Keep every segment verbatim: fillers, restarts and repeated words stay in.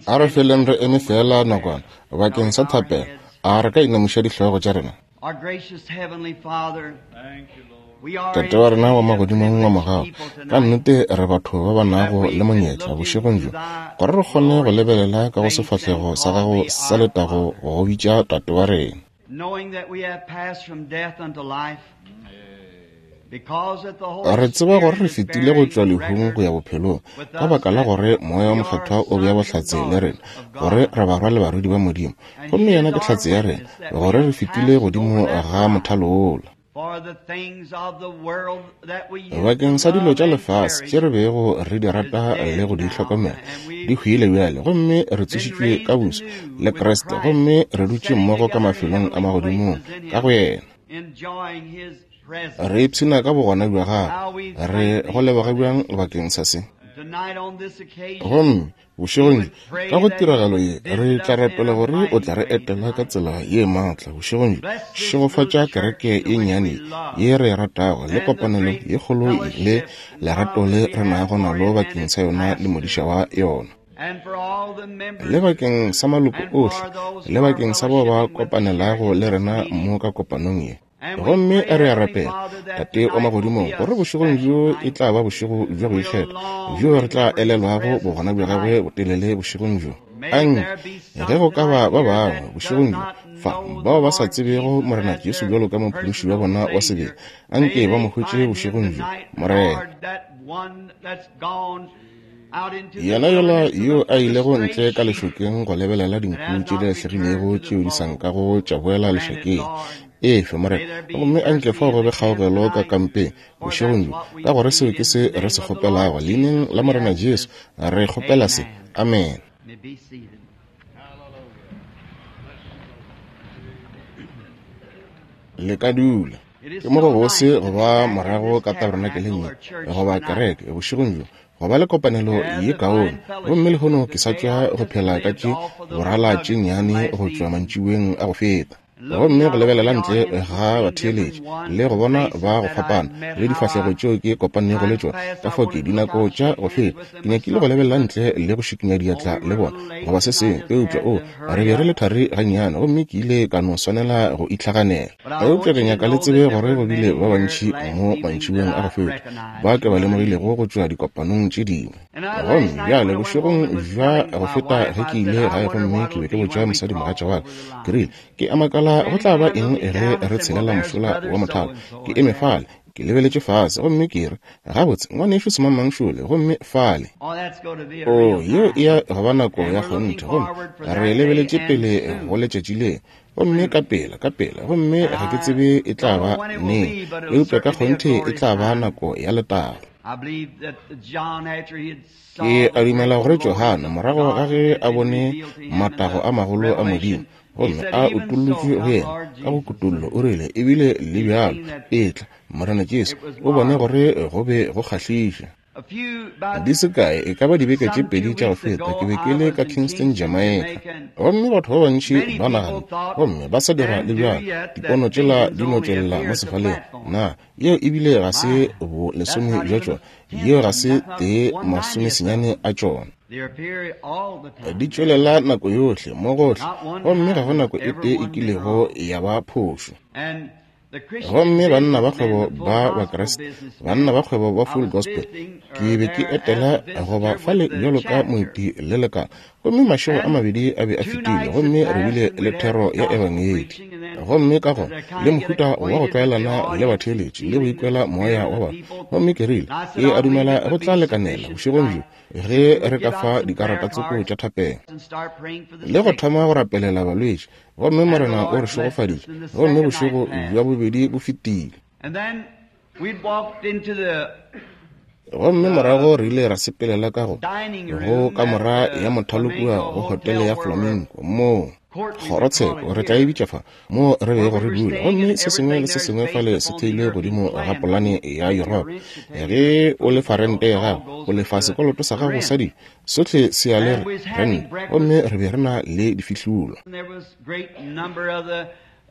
A re feleng re eme fela nakwana bakeng sa thapelo. A re ka inamiša dihlogo tša rena. Tate wa rena wa magodimong wa mogau, ka nnete re batho ba ba nago le monyetla bošegong bjo gore re kgone go lebelela ka go sefahlego sa gago sa letago go go bitša Tate wa rena. Re tseba gore re fetile go tšwa lehung go ya bophelong ka baka la gore Moya wa Mokgethwa o bea bohlatse le rena gore re barwa le barwedi ba Modimo, gomme yena ke hlatse ya rena gore re fetile godimo ga mothalo wola. Bakeng sa dilo tša lefase tše re bego re di rata le go di hlokomela di hwile bjale, gomme re tsošitšwe ka buso le Kriste, gomme re dutše mmogo ka mafelong a magodimong ka go yena. Re ipshina ka bogona bja gagwe. Re go leboga bjang bakeng sa se. Gomme bošegong bjo ka go tiragalo ye re tla rapela gore o tla re etela ka tsela ye maatla bošegong bjo. Šegofatša kereke ye nnyane ye re e ratago le kopanelo ye kgolo le lerato le re nago nalo bakeng sa yona le modiša wa yona, le bakeng sa maloko ohle, le bakeng sa bao ba kopanelago le rena mo ka kopanong ye. Gomme re a rapela, Tate wa magodimong, gore bošegong bjo e tla ba bošego bja go ikgetha bjo re tla elelwago bogona bja gagwe botelele bošegong bjo. Anke ge go ka ba ba bangwe bošegong bjo fa bao ba sa tsebego Morena Jesu bjalo ka mophološi wa bona wa sebele, anke ba mo hwetše bošegong bjo, Morena. Yena yola yo a ilego ntle ka lešokeng go lebelela dinku tše di lahlegilego tšeo di sa nkago tša boela lešokeng, efe Morena, gomme anke fao go be kgaogelo ka kampeng bošegong bjo, ka gore seo ke se re se kgopelago. Leineng la Morena Jesu re kgopela se. Amen. Le ka dula. Ke mo go bose go ba morago ka tabernakeleng ye goba kereke bošegong bjo, go ba le kopanelo ye kaone. Gomme lehono ke sa tšwa go phela ka tše borala tše nnyane go tšwa mantšiboeng a go feta. Gomme go lebelela ntle ga batheeletši le go bona ba go fapana le difahlego tšeo ke kopanego le tšona, ka fao ke dinako tša go feta ke nyakile go lebelela ntle le go šikinya diatla le bona goba se sengwe, eupša o re be re le thari gannyane gomme ke ile ka no swanela go itlhaganela. Eupša ke nyaka le tsebe gore go bile ba bantši mo mantšiboeng a go feta ba ke ba lemogilego go tšwa dikopanong tše dingwe. Gomme bjale bošegong bja go feta ge ke ile gae gomme ke be ke botša mosadimogatša wa ka, ke rile, ke a makala go tla ba eng ge re tshelela mošola wa mothalo. Ke eme fale, ke lebeletše fase, gomme ke re, gabotse, ngwanešu semangmang šole, gomme fale. O, yeo e ya go ba nako ya kgonthe, gomme re lebeletše pele go letšatši le, gomme ka pela, ka pela, gomme ga ke tsebe e tla ba neng, eupša ka kgonthe e tla ba nako ya letago. Ke a dumela gore Johane, morago ga ge a bone matago a magolo a Modimo, gomme a utollotšwe go yena ka go kutollo, o rile, ebile le bjalo etla Morena Jesu, o bone gore go be go kgahliša. Di se kae, e ka ba dibeke tše pedi tša go feta, ke be ke le ka Kingston, Jamaica, gomme batho ba bantši ba nagana gomme ba sa dira le bjalo dipono tšela di no tšwelela mo sefaleng. Na yeo ebile ga se bo lesome bja tšona, yeo ga se tee masomesenyane a tšona. Di tšwelela nako yohle mo gohle, gomme ga go nako e tee e kilego ya ba phošo. Gomme banna ba kgwebo ba Bakriste, banna ba kgwebo ba Full Gospel, ke be ke etela goba fale bjalo ka moeti le lekala, gomme mašego a mabedi a be a fetile, gomme re bile le thero ya ebangedi. Gomme ka gona le mohuta wa go tlwaelana le batheeletši le go ikwela moya wa batho. Gomme ke rile, ke a dumela go tla lekanela bošegong bjo ge re ka fa dikarata tsoko tša thapelo le go thoma go rapelela balwetši. Gomme Morena o re šegofaditše, gomme bošego bja bobedi bo fetile. Gomme morago re ile ra sepelela ka go go kamora ya mothalo kua go hotele ya Flamingo, moo kgorotsheko re tla e bitša fa, moo re bego re dula. Gomme se sengwe le se sengwe fale se theilwe godimo ga polane ya Yuropa. Ge o lefa rente ya gago, o lefa sekoloto sa gago sa dijo, sohle se ya le rente. Gomme re be re na le difihlolo.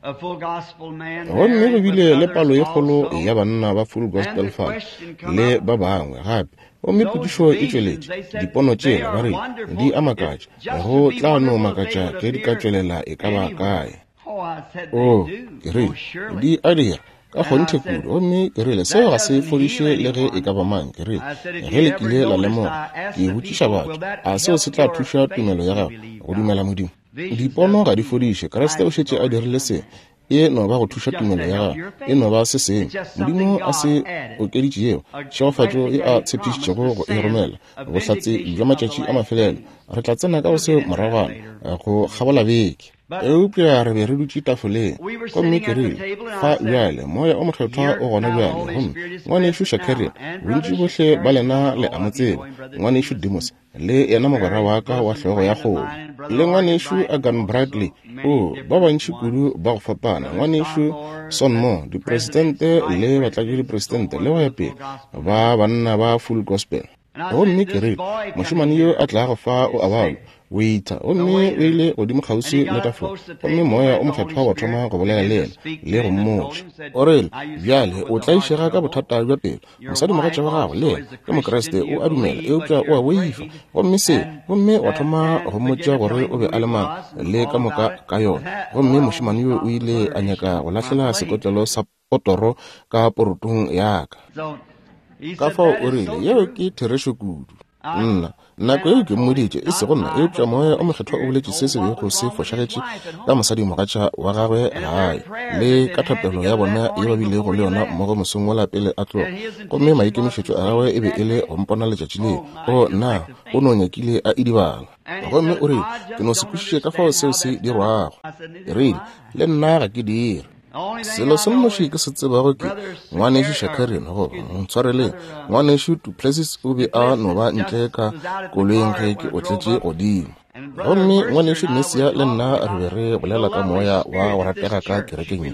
Gomme go bile le palo ye kgolo ya banna ba Full Gospel fa le ba bangwe gape. Gomme potšišo e tšweletše, dipono tšela ba rile di a makatša, go tla no makatša ge di ka tšwelela e ka ba kae. O, ke rile, di a dira ka kgonthe kudu. Gomme ke rile, seo ga se fodiše le ge e ka ba mang. Ke rile, ge le kile la lemoga, ke botšiša batho, a seo se tla thuša tumelo ya gago go dumela Modimo? Dipono ga di fodiše. Kriste o šetše a dirile se. E no ba go thuša tumelo ya gago, e no ba se sengwe Modimo a se okeditšego, tšhegofatšo e a tshepišitšego go e romela, bohlatse bja matšatši a mafelelo. Re tla tsena ka go seo moragwana go kgabola beke. Eupša re be re dutše tafoleng, gomme ke rile, fa bjale Moya o Mokgethwa o gona bjale. Gomme ngwanešu Shakarian, bontši bohle ba lena le a mo tseba, ngwanešu Demos le yena mogwera wa ka wa hlogo ya kgomo, le ngwanešu Agan Bradley, o ba bantši kudu ba go fapana, ngwanešu Sonmo, dipresidente le batlatšadipresidente le go ya pele, ba banna ba Full Gospel. Gomme ke rile, mošemane yo a tlago fa o a balwa, waiter. Gomme o ile godimo kgauswi le tafola, gomme Moya o Mokgethwa wa thoma go bolela le yena le go mmotša. O rile, bjale o tlaišega ka bothata bja pelo. Mosadimogatša wa gago le yena ke Mokriste, o a dumela, eupša o a boifa. Gomme se, gomme wa thoma go mmotša gore o be a le mang le ka moka ka yona. Gomme mošemane yo o ile a nyaka go lahlela sekotlelo sa potoro ka porotong ya ka. Ka fao o rile, yeo ke therešo kudu. Nna, nako yeo ke mmoditše, e sego nna, eupša Moya o Mokgethwa o boletše se se bego se fošagetše ka mosadimogatša wa gagwe gae, le ka thapelo ya bona ye ba bilego le yona mmogo mosong wola pele a tloga. Gomme maikemišetšo a gagwe e be e le go mpona letšatši leo. O, nna, o no nyakile a idibala. Gomme o rile, ke no se kwešiše ka fao seo se dirwago. Ke rile, le nna ga ke dire. Selo se nnoši ke se tsebago ke ngwanešu Shakarian, goba ntshwareleng, ngwanešu Duplessis o be a no ba ntle ka koloing ge ke otletše godimo. Gomme ngwanešu Mesia le nna re be re bolela ka moya wa go ratega ka kerekeng ye.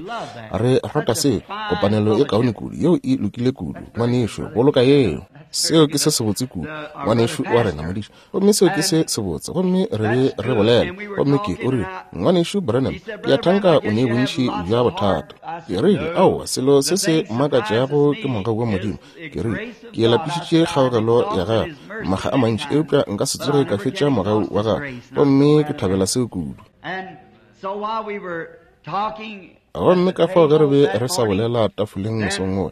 Re rata se, kopanelo e kaone kudu, yeo e lokile kudu, ngwanešu, boloka yeo. Seo ke se sebotse kudu, ngwanešu wa rena modiša. Gomme seo ke se sebotse. Gomme re be re bolela, gomme ke o rile, ngwanešu Branham, ke a thanka o ne bontši bja bothata. Ke rile, aowa, selo se se makatšago ke mogau wa Modimo. Ke rile, ke lapišitše kgaogelo ya gagwe makga a mantši, eupša nka se tsoge ka fetša mogau wa gagwe. Gomme ke thabela seo kudu. Gomme ka fao ge re be re sa bolela tafoleng mosong wola,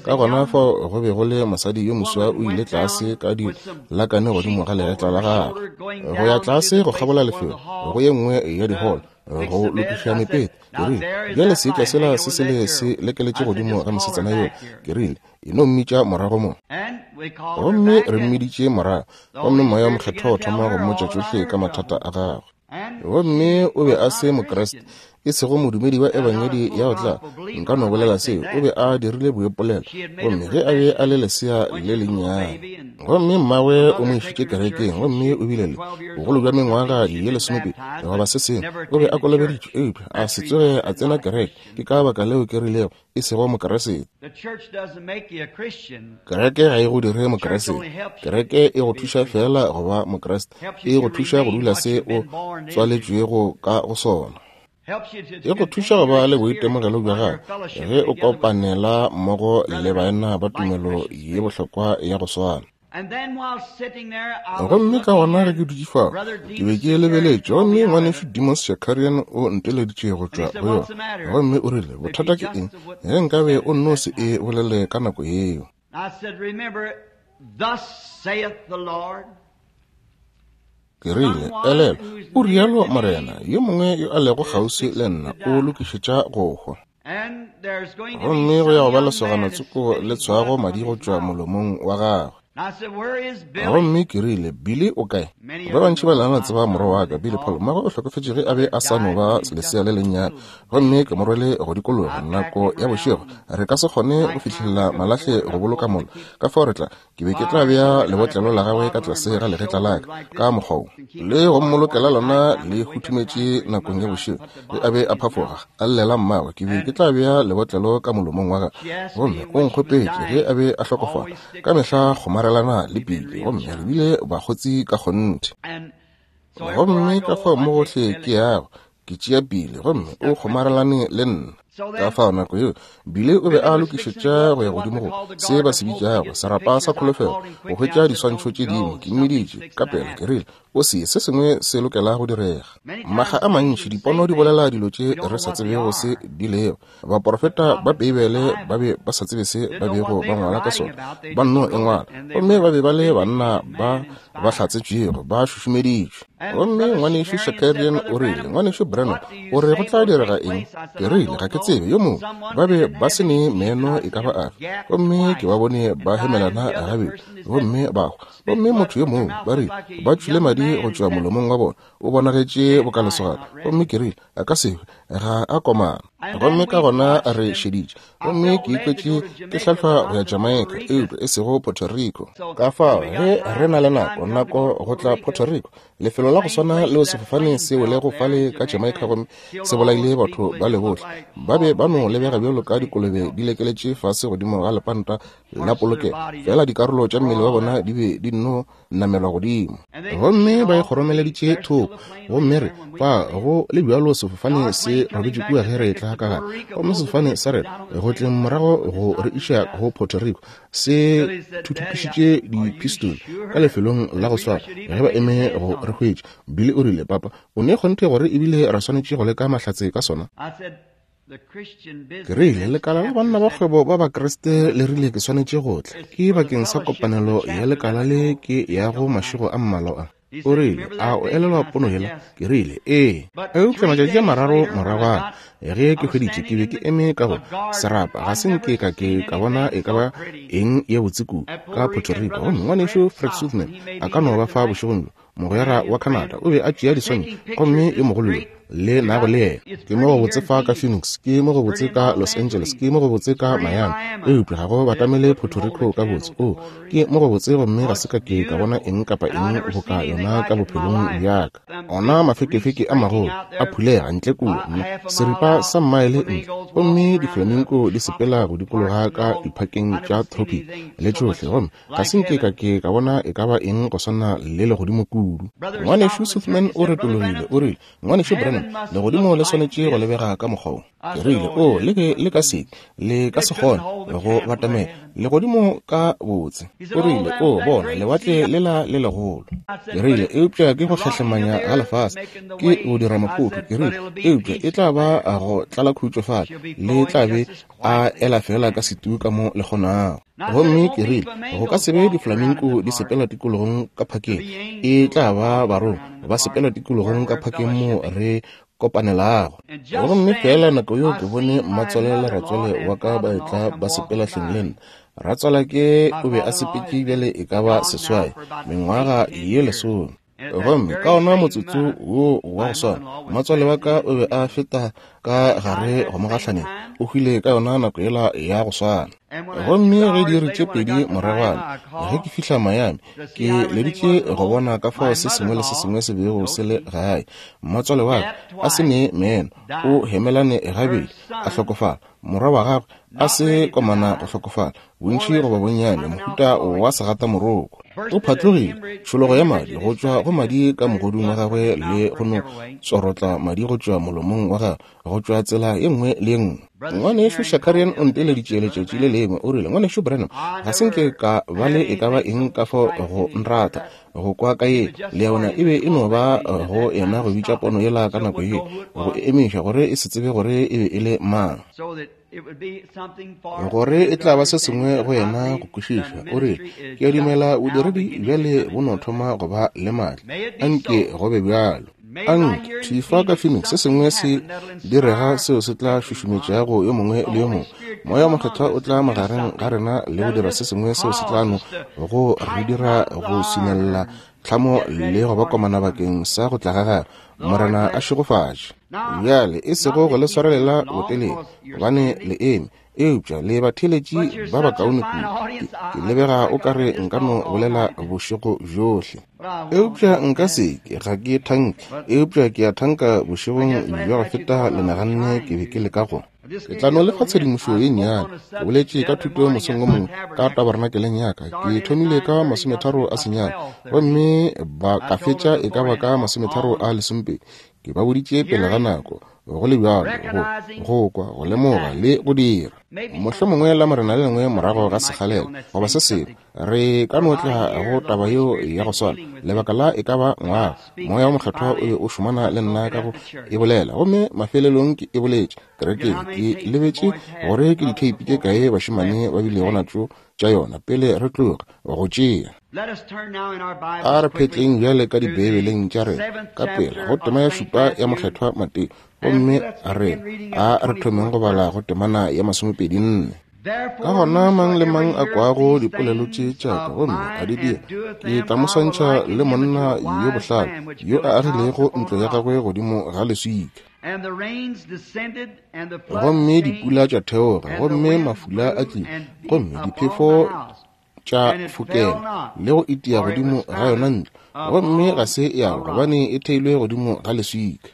ka gona fao go be go le mosadi yo moswa o ile tlase ka dilakane godimo ga legetla la gagwe, go ya tlase go kgabola lefelo go ye nngwe ya diholo go lokiša mepete. Ke rile, bjale seetša sela se sele se lekeletše godimo ga mosetsana yola. Ke rile, e no mmitša morago mo. Gomme re mmiditše morago, gomme Moya o Mokgethwa o thoma go mmotša tšohle ka mathata a gagwe. Gomme o be a se Mokriste, e sego modumedi wa ebangedi ya go tla, nka no bolela seo, o be a dirile boipolelo, gomme ge a be a le lesea le lennyane. Gomme mmagwe o mo išitše kerekeng, gomme o bile le bogolo bja mengwaga ye lesomepedi goba se sengwe, o be a kolobeditšwe, eupša a se tsoge a tsena kereke. Ke ka baka leo ke rilego e sego Mokriste. Kereke ga e go dire Mokriste. Kereke e go thuša fela go ba Mokriste, e go thuša go dula se o tswaletšwego ka go sona. E go thuša go ba le boitemogelo bja gago ge o kopanela mmogo le baena ba tumelo ye bohlokwa ya go swana. Gomme ka gona ge ke dutše fao, ke be ke lebeletše, gomme ngwanešu Demos Shakarian o nteleditše go tšwa go yona. Gomme o rile, bothata ke eng ge nkabe o nno se e bolele ka nako yeo? Ke rile, elelwa, o rialo Morena, yo mongwe yo a lego kgauswi le nna o lokišetša go hwa. Gomme go ya go ba lesogana tsoko le tshwago madi go tšwa molomong wa gagwe. Gomme ke rile, Billy o kae? Ba bantši ba lena tseba morwa wa ka, Billy Paul. Mmagwe o hlokofetše ge a be a sa no ba lesea le lennyane. Gomme ke mo rwele go dikologa nako ya bošego. Re ka se kgone go fihlelela malahle go boloka mollo. Ka fao re tla, ke be ke tla bea lebotlelo la gagwe ka tlase ga legetla la ka, ka mokgwa wo, le go mmolokela lona le huthumetše nakong ya bošego. Ge a be a phafoga a llela mmagwe, ke be ke tla bea lebotlelo ka molomong wa gagwe. Gomme o nkgopetše ge a be a hlokofala, ka mehla kgomarelana le Billy, gomme re bile bakgotsi ka kgonthe. Gomme ka fao mo gohle ke yago, Ke tšea Billy gomme o kgomarelane le nna. Ka fao nako yeo Billy o be a lokišetša go ya godimo go se ba se bitšago serapa sa kholofelo go hwetša diswantšho tše dingwe. Ke mmiditše ka pela, ke rile, o se se sengwe se lokela go direga. Makga a mantši dipono di bolela dilo tše re sa tsebego se di lego. Baprofeta ba Beibele ba be ba sa tsebe se ba bego ba ngwala ka sona, ba nno e ngwala, gomme ba be ba le banna ba ba hlatsetšwego, ba šušumeditšwe. Gomme ngwanešu Shakarian o rile, ngwanešu Branham, o re go tla direga eng? Ke rile, ga ke tsebe. Yo mongwe ba be ba se ne meno e ka ba afe, gomme ke ba bone ba hemelana gabedi gomme ba hwa. Gomme motho yo mongwe ba rile ba tšwile madi go tšwa molomong wa bona, o bonagetše bokalesogana. Gomme ke rile, a ka se hwe, ga a komana. Gomme ka gona re šeditše, gomme ke ikwetše ke hlahlwa go ya Jamaica, eupša e sego Puerto Rico. Ka fao ge re na le nako nako go tla Puerto Rico, lefelo la go swana leo sefofane se welego fale ka Jamaica gomme se bolaile batho ba le bohle, ba be ba no lebega bjalo ka dikolobe di lekeletše fase godimo ga lepanta la polokelo, fela dikarolo tša mmele wa bona di be di nno namelwa godimo. Gomme ba e kgoromeleditše thoko, gomme re fa go le bjalo sefofane se robetše kua ge re etla ka gare. Gomme sefofane sa rena go tleng morago go re iša go Puerto Rico se thuthupišitše dipistol ka lefelong la go swara ge ba eme go re hwetša. Billy o rile, papa, o ne kgonthe gore ebile ra swanetše go leka mahlatse ka sona? Ke rile, lekala la banna ba kgwebo ba Bakriste le rile ke swanetše go tla. Ke bakeng sa kopanelo ya lekala le ke ya go mašego a mmalwa a. O rile, a o elelwa pono yela? Ke rile, ee. Eupša matšatši a mararo moragwana ge ke hweditše, ke be ke eme ka go serapa, ga se nke ka ke ka bona e ka ba eng ye botse kudu ka Puerto Rico. Gomme ngwanešu Fred Sothmann a ka no ba fa bošegong bjo, mogwera wa Canada, o be a tšea diswantšho, gomme yo mogolo yo le nago le yena. Ke mo go botse fa ka Phoenix, ke mo go botse ka Los Angeles, ke mo go botse ka Miami, eupša ga go batamele Puerto Rico ka botse. O, ke mo go botse, gomme ga se ka ke ka bona eng kapa eng boka yona ka bophelong bjaka. Ona mafekefeke a magolo a phulega ntle kua, seripa sa mmaele ntle, gomme diflaminko di sepela go dikologa ka diphakeng tša tropic le tšohle, gomme ga se nke ka ke ka bona e ka ba eng go swana le legodimo kudu. Ngwanešu Sothmann o retologile, o rile, ngwanešu Branham, legodimo le swanetše go lebega ka mokgwa wo. Ke rile, o le be le ka se, le ka se kgone go batamela legodimo ka botse. O rile, o bona lewatle lela le legolo. Ke rile, eupša ke go hlahlemanya ga lefase, ke go dira maphoto. Ke rile, eupša e tla ba go tlala khutšo fale, le tla be a ela fela ka setu ka mo le kgonago. Gomme ke rile, go ka se be diflaminko di sepela tikologong ka phakeng, e tla ba barongwa ba sepela tikologong ka phakeng mo re kopanelago. Gomme fela nako yeo ke bone mmatswale le ratswale wa ka ba etla ba sepela hleng le nna. Ratswala ke o be a sepetše bjale e ka ba seswai, mengwaga ye lesome. Gomme ka ona motsotso wo wa go swana, mmatswale wa ka o be a feta ka gare go mo gahlaneng, o hwile ka yona nako yela ya go swana. Gomme ge diiri tše pedi moragwana ge ke fihla Miami, ke leditše go bona ka fao se sengwe le se sengwe se bego se le gae. Mmatswale wa ka a se ne meno, o hemelane gabedi, a hlokofala. Morwa wa gagwe a se komana go hlokofala, bontši goba bonnyane, mohuta wa segatamoroko. O phatlogile, tšhologo ya madi go tšwa go madi ka mogodung wa gagwe le go no tsorotla madi go tšwa molomong wa gagwe go tšwa tsela ye nngwe le ye nngwe. Ngwanešu Shakarian o nteleditše letšatši le lengwe, o rile, ngwanešu Branham, ga se nke ka ba le e ka ba eng ka fao go nrata go kwa ka ye le yona e be e no ba go yena go bitša pono yela ka nako ye, go emiša gore e se tsebe gore e be e le mang, gore e tla ba se sengwe go yena go kwešiša. O rile, ke a dumela bodiredi bjale bo no thoma go ba le maatla, anke go be bjalo. Anke thifa ka Phoenix se sengwe se direga seo se tla šušumetšago yo mongwe le yo mongwe. Moya Mokgethwa o tla magareng ga rena le go dira se sengwe seo se tla no go re dira go swinella tlhamo le go ba komana bakeng sa go tla ga gagwe. Morena a šegofatše. Bjale e sego go le swarelela botelele, gobane le eme, eupša le batheeletši ba bakaone kudu. Ke lebega o ka re nka no bolela bošego bjohle, eupša nka se ke, ga ke thanke, eupša ke a thanka bošegong bja go feta le naganne ke be ke leka go. Ke tla no lefa tshedimošo ye nnyane. Ke boletše ka thuto mosong o mongwe ka tabernakeleng ya ka. Ke thomile ka masometharo a senyane, gomme ba ka fetša e ka ba ka masometharo a lesomepedi. Ke ba boditše pele ga nako, go le bjalo, go, go kwa, go lemoga le go dira. Mohlomongwe la Morena le lengwe morago ga sekgalela goba se sengwe, re ka no tla go taba yeo ya go swana. Lebaka la e ka ba ngwaga, Moya wo Mokgethwa o be o šomana le nna ka go e bolela, gomme mafelelong ke e boletše kerekeng. Ke lebetše gore ke ditheipi tše kae bašemane ba bilego natšo tša yona pele re tloga go tšea. A re phetleng bjale ka dibeibeleng tša rena ka pela go tema ya šupa ya Mokgethwa Mateo, gomme re a re thomeng go bala go temana ya masomepedi nne. Ka gona mang le mang a kwago dipolelo tše tša ka gomme a di dira, ke tla mo swantšha le monna yo bohlale yo a agilego ntlo ya gagwe godimo ga leswika. Gomme dipula tša theoga, gomme mafula a tlile, gomme diphefo tša fokela le go itia godimo ga yona ntlo, gomme ga se ya wa, gobane e theilwe godimo ga leswika.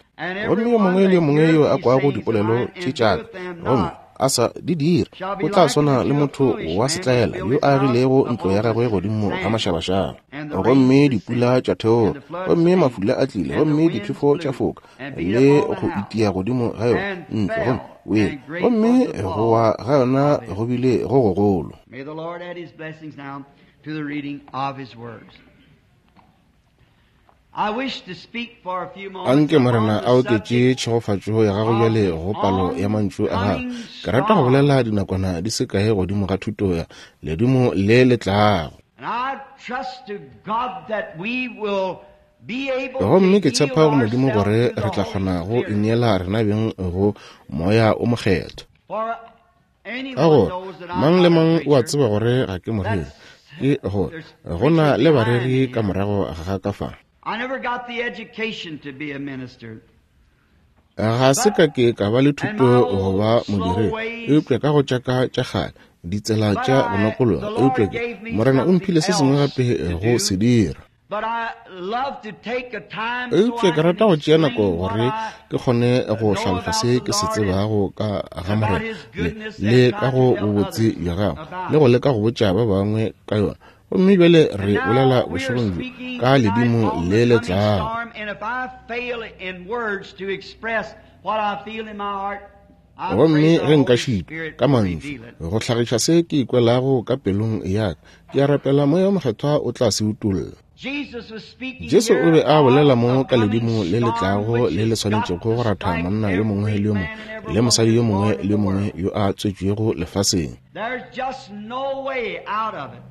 Gomme yo mongwe le yo mongwe yo a kwago dipolelo tše tša ka gomme a sa di dire, o tla swana le motho wa setlaela yo a agilego ntlo ya gagwe godimo ga mašabašaba. Gomme dipula tša theoga, gomme mafula a tlile, gomme diphefo tša foka le go itia godimo ga yona ntlo, gomme wele, gomme go wa ga yona go bile go gogolo. May the Lord add his blessings now to the reading of his words. I wish to speak for a few moments Anke Morena upon a the oketše subject tšhegofatšo ya gago bjale go palo ya mantšu a gagwe. Ke rata go bolela dinakwana di se kae godimo ga thuto ya ledimo le le tlago. And I trust to God that we will be able to Gomme ke yield tshepa go Modimo ourselves gore to the re tla Holy kgona go Spirit. ineela rena beng go Moya o Mokgethwa. For Ka anyone gore knows that I'm mang le not a mang o a preacher. tseba gore ga ke moreri, That's ke gore there's go na preachers le behind bareri me ka here. morago ga ka fa. I never got the education to be a minister. Ga se But ka ke ka ba le and thuto my go old ba slow modiredi, ways, eupša ka go tša ka tša kgale, ditsela but tša go I nokologa, the eupša Lord ke gave me Morena o something mphile se sengwe else gape to go do. se dira. But I love to take a time so Eupša I ke can rata go tšea nako explain what gore I ke kgone go know hlalosa about se the ke se Lord and tsebago ka ga about Morena His le goodness le and ka try to go tell bobotse others bja gagwe about le go it. leka go botša ba bangwe ka yona. Gomme bjale And re bolela now we are bošegong bjo speaking ka tonight ledimo on le the le coming tlago. storm, and if I fail in words to express what I feel in my heart, I pray Gomme the ge nka Holy šitwa Spirit ka will mantšu reveal it. go hlagiša se ke ikwelago ka pelong ya ka, ke a rapela Moya wo Mokgethwa o tla se utolla. Jesus was speaking Jesu o here be a bolela of mo a ka coming ledimo le le storm tlago which le le has got swanetšego to go ratha strike monna yo mongwe every le yo mongwe man and every le mosadi woman yo that's mongwe born in le yo the mongwe world. yo a tswetšwego lefaseng. There's just no way out of it.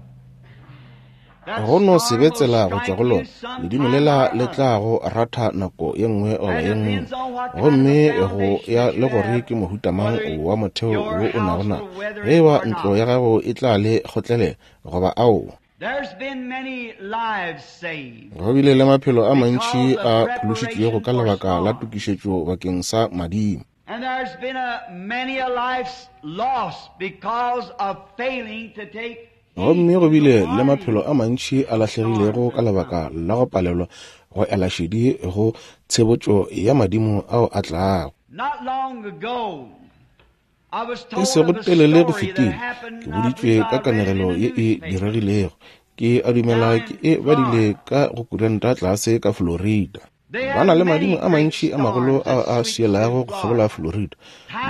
That Go no se storm be will tsela go tšwa strike go you lona. Ledimo sometime lela or le other. tla go ratha nako ye nngwe goba And ye it nngwe. depends on what kind of a Gomme go foundation ya that le you gore have, ke mohuta mang whether wa motheo your wo o nago house na, will weather ge it eba or ntlo not. ya gago e tla le kgotlelela goba aowa. There's been many lives saved Go bile le maphelo a mantši because of a phološitšwego preparation ka for lebaka la storms. tokišetšo bakeng sa madimo. And there's been a many a lives lost because of failing to take heed Gomme go to the bile le warning maphelo a mantši a of lahlegilego storms ka that lebaka come. la go palelwa go ela šedi go tshebotšo ya madimo ao a tlago. Not long ago, I was E told sego of a telele go story that fetile, ke happened, I boditšwe believe ka I read it kanegelo in the ye e newspaper diregilego. Ke a dumela down ke in e badile Florida. ka go kuranta tlase ka Florida. They Ba na had le madimo many a great mantši a magolo storms ao that a sweep through swielago go kgabola Florida. Florida.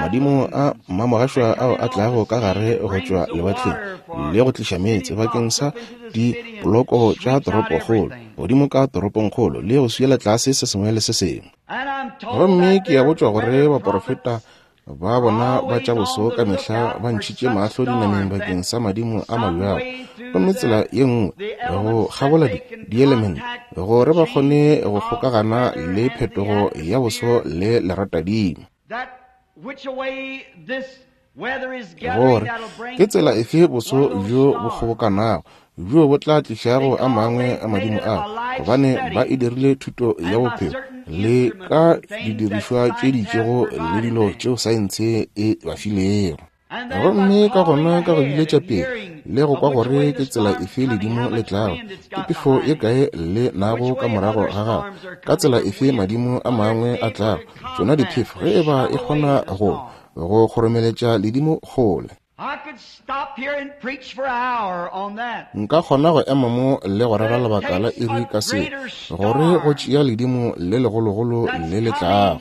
Madimo a Typhoons mmamogašwa that come ao in a off the tlago ka sea gare and go brings tšwa the lewatleng water for le go tliša meetse city bakeng blocks sa up into the city and dipoloko tša sweeps out toropokgolo everything. godimo ka toropongkgolo le go swiela tlase se sengwe le se sengwe. And I'm told Gomme that ke a their botšwa gore weather baporofeta prophets ba are bona ba tša always on boso the ka mehla lookout ba for ntšhitše such mahlo dinameng storms bakeng and sa madimo a some mabjalo. way through Gomme tsela the ye nngwe the go elements that kgabola they di can dielemente contact gore the ba kgone changes go of the kgokagana weather le and the phetogo ya boso atmosphere le leratadimo. that which way this weather is gathering Gore that'll bring ke tsela forth efe boso one of those bjo bo storms kgobokanago bjo bo tla tlišago a because mangwe they've a made madimo it a ao, life gobane ba study e dirile thuto ya and by bophelo certain le instruments ka and things that didirišwa tše di science has itšego le provided dilo them. tšeo saense e ba filego. And then by Gomme ka calling gona ka go ahead biletša and pele hearing le go of kwa which gore way ke the tsela storm's efe coming, ledimo how le much tlago, wind it's ke got phefo ye behind it, kae le nago which ka way morago other ga gagwe, storms are ka coming tsela or efe winds, madimo a whether it's mangwe a able tlago, to tšona combat diphefo or ge e ba shove e away kgona the go storm. go kgoromeletša ledimo kgole. Nka kgona go ema mo le go rera lebaka la iri ka se, gore go tšea ledimo le legologolo le le tlago.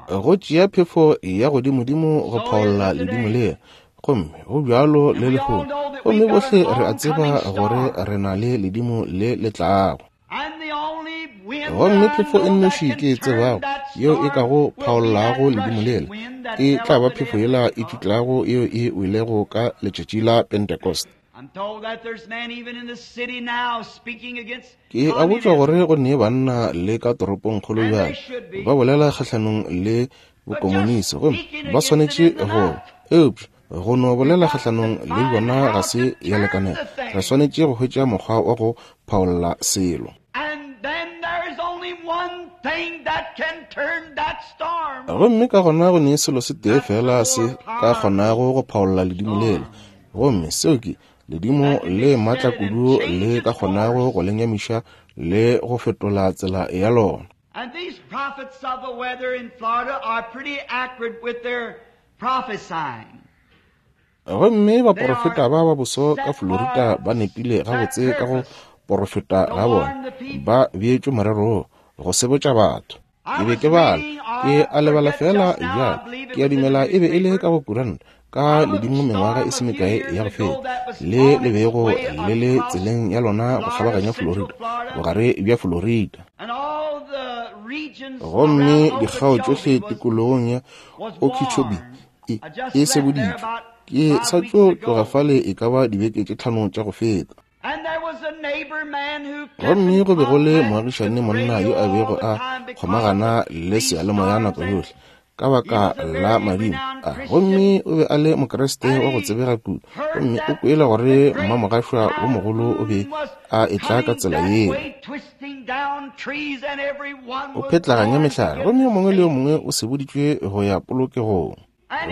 Go tšea phefo ya godimodimo go phaolla ledimo le, gomme go bjalo le lehono. Gomme bohle re a tseba gore re na le ledimo le le tlago. Gomme phefo e nnoši ke e tsebago yeo e kago phaollago ledimo lela e tla ba phefo yela e tšutlago yeo e welego ka letšatši la Pentecost. Ke a botšwa gore go ne banna le ka toropongkgolo bjale ba bolela kgahlanong le bokomonisi, gomme ba swanetše go, eupša go no bolela kgahlanong le bona ga se ya lekanela. Re swanetše go hwetša mokgwa wa go phaolla selo. Gomme ka gona go ne selo se tee fela se ka kgonago go phaolla ledimo lela, gomme seo ke ledimo le maatla kudu le ka kgonago go lenyamiša le go fetola tsela ya lona. And these prophets of the weather in Florida are pretty accurate with their prophesying. Gomme baporofeta ba ba boso ka Florida ba nepile gabotse ka go porofeta ga bona, ba beetšwe morero go sebotša batho. Ke be ke bala, ke a lebala fela bjalo, ke a dumela e be e le ka go kuranta ka ledimo mengwaga e se mekae ya go feta, le le bego le le tseleng ya lona go kgabaganya Florida, bogare bja Florida. Gomme dikgao tšohle tikologong ya Okeechobee e, e seboditšwe. Ke sa tšo tloga fale e ka ba dibeke tše tlhano tša go feta. Gomme go be go le moagišane monna yo a bego a kgomagana le seyalemoya nako yohle ka baka la madimo a, gomme o be a le Mokriste wa go tsebega kudu, gomme o kwele gore mmamogašwa wo mogolo o be a etla ka tsela yeo, o phetlaganya mehlare, gomme yo mongwe le yo mongwe o seboditšwe go ya polokegong.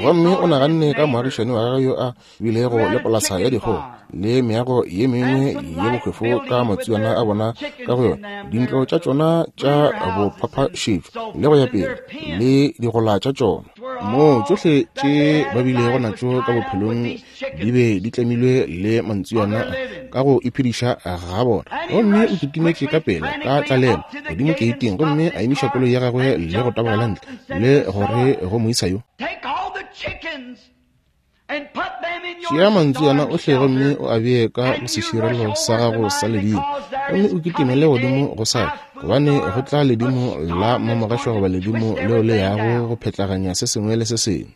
Gomme o naganne ka moagišani wa gagwe yo a bilego le polasa ya dikgogo le meago ye mengwe ye bohwefo ka matsuana a bona ka go yona, dintlo tša tšona tša bophaphašetšo le go ya pele le digola tša tšona, moo tšohle tše ba bilego natšo ka bophelong di be di tlemilwe le mantsuana ka go iphediša ga bona. Gomme o kitimetše ka pela ka tlalelo godimo keiting, gomme a emiša koloi ya gagwe le go tabogela ntle le gore go moisa yo, tšea mantsuana ohle gomme o a bee ka go seširelo sa gago sa ledimo, gomme o kitimele godimo go sale, gobane go tla ledimo la mmamogašwa goba ledimo leo le yago go phetlaganya se sengwe le se sengwe.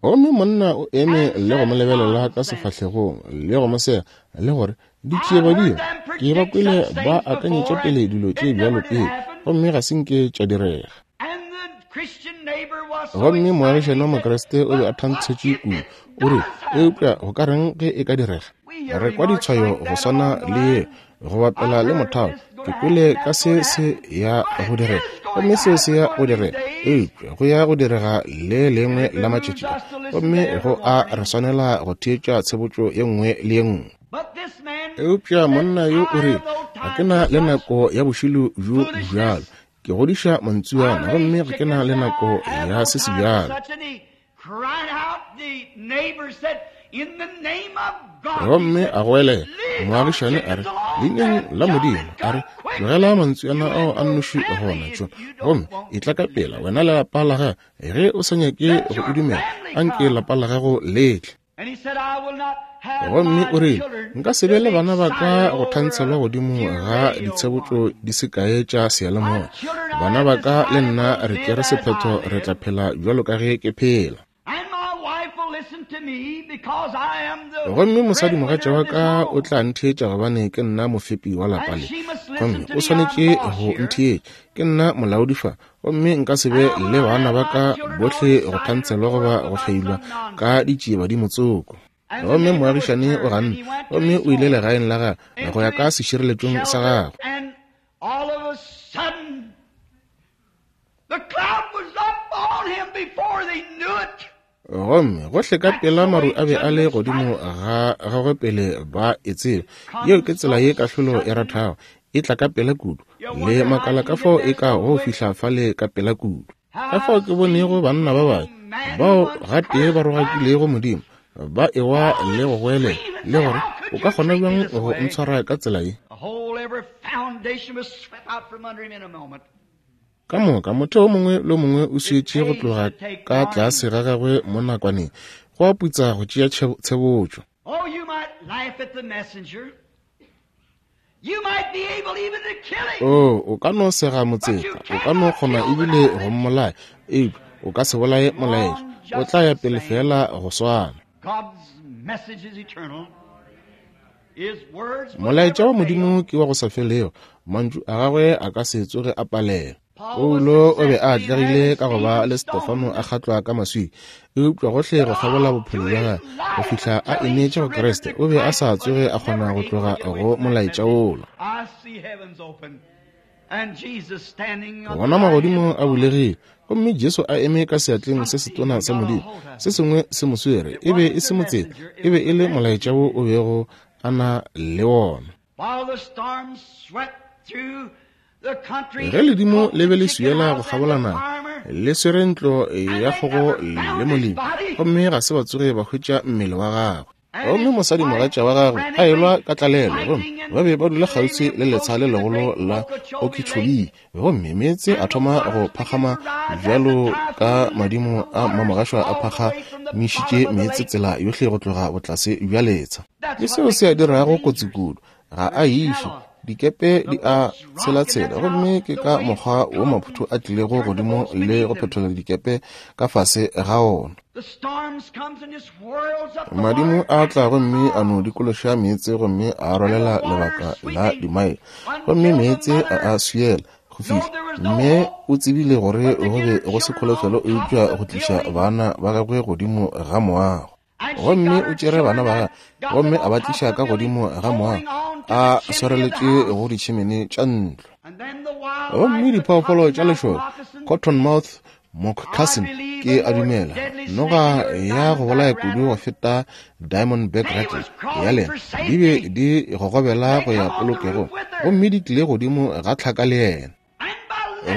Gomme monna o eme le go mo lebelela ka sefahlegong le go mo sega le gore ditšie badimo ke ba kwele ba akanyetša pele dilo tše bjalo pele, gomme ga se nke tša direga. Gomme moagišani wa Mokriste o be a thantshetše kudu, o re, eupša go ka reng ge e ka direga? Re kwa ditshwayo go swana le ye go bapela le mothalo, ke kwele ka se se ya go direga, gomme seo se ya go direga, eupša go ya go direga le lengwe la matšatši a, gomme go a re swanela go theetša tshebotšo ye nngwe le ye nngwe. Eupša monna yo o re, ga ke na le nako ya bošilo bjo bjalo, ke godiša mantsuana, gomme ga ke na le nako ya se se bjalo. Gomme a goelela moagišane a re, leineng la Modimo, a re, tlogela mantsuana ao a nnoši gona tšo, gomme e tla ka pela wena le lapa la gago, ge o sa nyake go o dumela, anke lapa la gago le tle. Gomme o rile, nka se be le bana ba ka go thantshelwa godimo ga ditshebotšo di se kae tša seyalemoya. Bana ba ka le nna re tšere sephetho, re tla phela bjalo ka ge ke phela. Gomme mosadimogatša wa ka o tla ntheetša gobane ke nna mofepi wa lapa le, gomme o swanetše go ntheetša, ke nna molaodi fa, gomme nka se be le bana ba ka bohle go thantshelwa goba go hlailwa ka ditšiebadimo tsoko. Gomme moagišane o ganne, gomme o ile legaeng la gagwe go ya ka sešireletšong sa gagwe. Gomme gohle ka pela maru a be a le godimo ga gagwe pele ba e tseba. Yeo ke tsela ye kahlolo e rathago, e tla ka pela kudu, Le makala ka fao e ka go fihla fale ka pela kudu. Ka fao ke bonego banna ba babe bao gatee ba rogakilego Modimo, ba ewa le go goelela le gore o ka kgona bjang go ntshwara ka tsela ye. Ka moka motho o mongwe le mongwe o swietše go tloga ka tlase ga gagwe mo nakwaneng, go a putsa go tšea tshebotšo. Oh, o ka no sega motseta, o ka no kgona ebile go mmolaya, eupša o ka se bolaye molaetša, o tla ya pele fela go swana. Molaetša wa Modimo ke wa go sa felego, mantšu a gagwe a ka se tsoge a palela. Paulo o be a atlegile ka go ba le Stefano a kgatlwa ka maswika, eupša gohle go kgabola bophelo bja gagwe go fihla a ineetše go Kriste, o be a sa tsoge a kgona go tloga go molaetša wola. Bona magodimo a bulegile, gomme Jesu a eme ka seatleng se setona sa Modimo, se sengwe se mo swere. E be e se motseta, e be e le molaetša wo o bego a na le wona. Ge ledimo le be le swiela go kgabola naga, le swere ntlo ya kgogo le molemi, gomme ga se ba tsoge ba hwetša mmele wa gagwe. Gomme mosadimogatša wa gagwe a elwa ka tlalelo, gomme ba be ba dula kgauswi le letsha le legolo la Okeechobee, gomme meetse a thoma go phagama bjalo ka madimo a mamogašwa a phagamišitše meetse tsela yohle go tloga botlase bja letsha. Ke seo se a dirago kotsi kudu, ga a iše dikepe di a tshelatshela, gomme ke ka mokgwa wo maphoto a tlilego godimo le go phethola dikepe ka fase ga ona. Madimo a tla gomme a no dikološa meetse gomme a rwalela lebaka la dimaele, gomme meetse a a swiela go fihla. Mme o tsebile gore go be go se kholofelo eupša go tliša bana ba gagwe godimo ga moago. Gomme o tšere bana ba gagwe gomme a ba tliša ka godimo ga moago, a swareletše go ditšhimene tša ntlo. Gomme diphoofolo tša lešoka, cottonmouth moccasin, ke a dumela noga ya go bolaya kudu go feta diamondback rattle ya lena, di be di gogobela go ya polokegong, gomme di tlile godimo ga tlhaka le yena.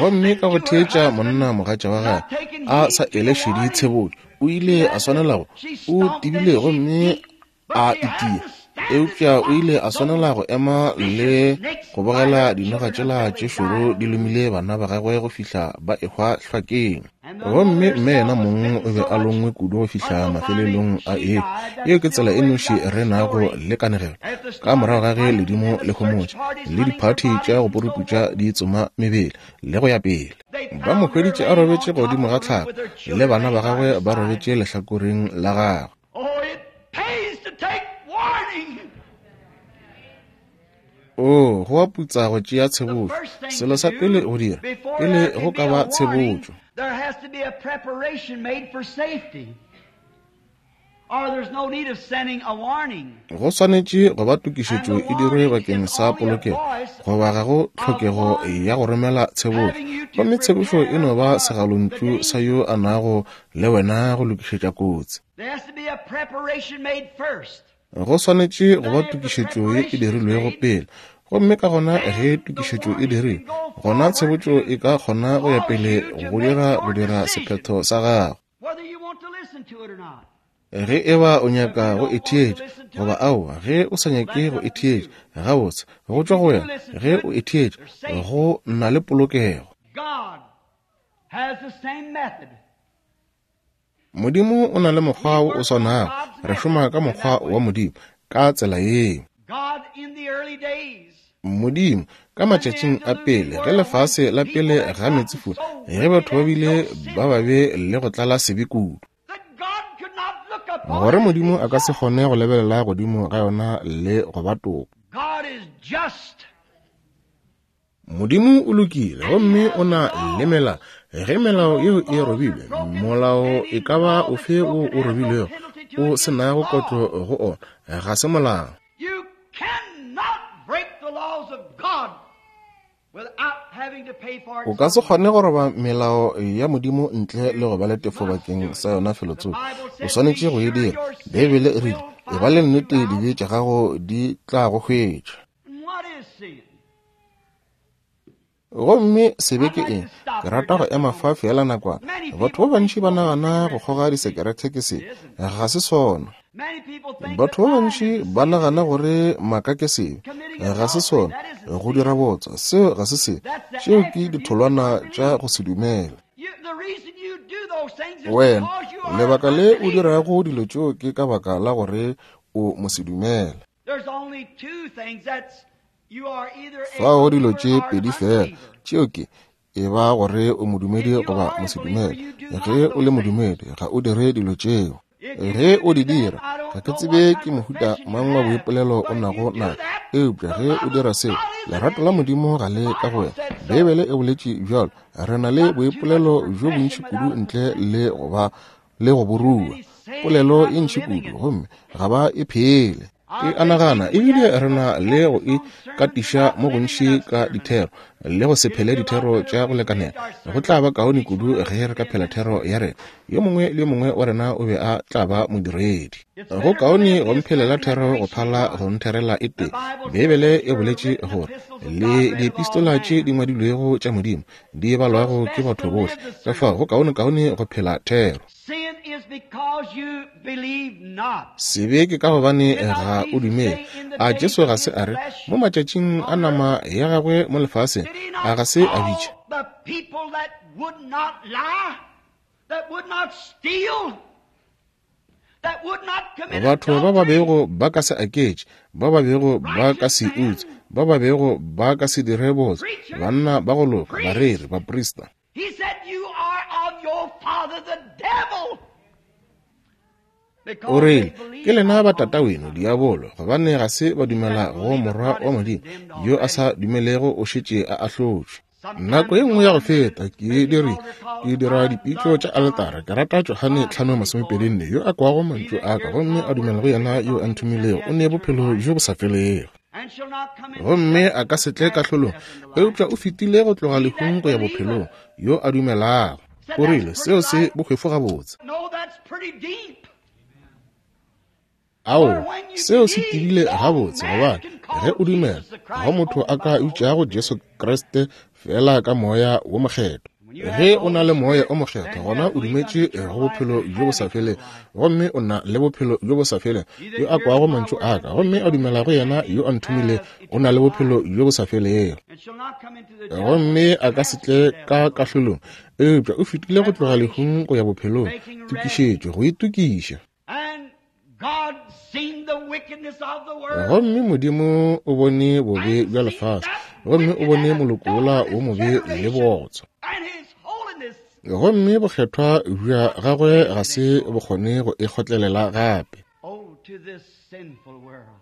Gomme ka go theetša monna mogatša wa gagwe a sa ele šedi tshebotšo, o ile a swanela go o tibile gomme a itia, eupša o ile a swanela go ema le go bogela dinoga tšela tše šoro di lomile bana ba gagwe go fihla ba ehwa hlwakeng. Gomme mme yena mong o be a longwe kudu go fihla mafelelong a eo. Yeo ke tsela e noši re nago le kanegelo. Ka morago ga ge ledimo le homotše le diphathi tša go puruputša di tsoma mebele le go ya pele, ba mo hweditše a robetše godimo ga tlhaka le bana ba gagwe ba robetše lehlakoreng la gagwe. Oh, go a putsa go tšea tshebotšo. Selo sa pele go dira pele go ka ba tshebotšo, go swanetše go ba tokišetšo e dirwe bakeng sa polokego, goba ga go tlhokego ya go romela tshebotšo. Gomme tshebotšo e no ba segalontšu sa yo a nago le wena go lokišetša kotsi. Go swanetše go ba tokišetšo ye e dirilwego pele, gomme ka gona ge tokišetšo e dirilwe, gona tshebotšo e ka kgona go ya pele go dira go dira sephetho sa gago. Ge e ba o nyaka go e theetša goba aowa, ge o sa nyake go e theetša, gabotse go tšwa go wena. Ge o e theetša, go na le polokego. Modimo o na le mokgwa wo o swanago. Re šoma ka mokgwa wa Modimo ka tsela yeo. Modimo ka matšatšing a pele, ge lefase la pele ga meetsefula, ge batho ba bile ba babe le go tlala sebe kudu, gore Modimo a ka se kgone go lebelela godimo ga yona le go ba toka. Modimo o lokile gomme o na le melao. Ge melao yeo e robilwe, molao e ka ba ofe wo o robilwego o se nago kotlo go ona, ga se molao. O ka se kgone go roba melao ya Modimo ntle le go ba le tefo bakeng sa yona felotsoko. O swanetše go e dira. Beibele e rile, e ba le nnete dibe tša gago di tla go hwetša. Gomme sebe ke eng? Ke rata go ema fa feela nakwana. Batho ba bantši ba nagana go kgoga disekerete ke sebe. Ga se sona. Batho ba bantši ba nagana gore maaka ke sebe. Ga se sona. Go dira bootswa, seo ga se sebe. Tšeo ke ditholwana tša go se dumele. Wena, lebaka le o dirago dilo tšeo ke ka baka la gore o mosedumele. Fao dilo tše pedi fela, tšeo ke e ba gore o modumedi goba mosedumele. Ge o le modumedi, ga o dire dilo tšeo. Ge o di dira, ga ke tsebe ke mohuta mang wa boipolelo o nago na, eupša ge o dira seo, lerato la Modimo ga le ka go wena. Beibele e boletše bjalo. Re na le boipolelo bjo bontši kudu ntle le go ba le go borua. Polelo e ntši kudu, gomme ga ba e phele. Ke a nagana ebile re na le go ikatiša mo gontši ka dithero le go se phele dithero tša go lekanela. Go tla ba kaone kudu ge re ka phela thero ya rena. Yo mongwe le yo mongwe wa rena o be a tla ba modiredi. Go kaone go mphelela thero go phala go ntherela e tee. Beibele e boletše gore le diepistola tše di ngwadilwego tša Modimo di balwago ke batho bohle. Ka fao go kaone kaone go phela thero. Sebe ke ka gobane ga o dumele. A Jesu ga se a re mo matšatšing a nama ya gagwe mo lefaseng, a ga se a bitša batho ba ba bego ba ka se aketše, ba ba bego ba ka se utswe, ba ba bego ba ka se dire bootswa, banna ba go loka, bareri, baprista. O rile, ke lena ba tataweno diabolo, gobane ga se ba dumela go Morwa wa Modimo. Yo a sa dumelego o šetše a ahlotšwe. Nako e nngwe ya go feta ke diri ke dira dipitšo tša aletara. Ke rata Johane tlhano masomepedi nne, yo a kwago mantšu a ka gomme a dumela go yena yo a nthomilego, o ne bophelo bjo bo sa felego, gomme a ka se tle kahlolong, eupša o fetile go tloga lehung go ya bophelong, yo a dumelago. O rile, seo se bohwefo gabotse. Ao, seo se tibile gabotse, gobane ge o dumela, ga motho a ka bitšago Jesu Kriste fela ka Moya wo Mokgethwa. Ge o na le Moya o Mokgethwa, gona o dumetše go bophelo bjo bo sa felego, gomme o na le bophelo bjo bo sa felego. Yo a kwago mantšu a ka gomme a dumela go yena yo a nthomilego, o na le bophelo bjo bo sa felego, gomme a ka se tle ka kahlolong, eupša o fetile go tloga lehung go ya bophelong. Tokišetšo, go itokiša. Gomme Modimo o bone bobe bja lefase, gomme o bone moloko wola wo mobe le bootswa, gomme bokgethwa bja gagwe ga se bo kgone go e kgotlelela gape.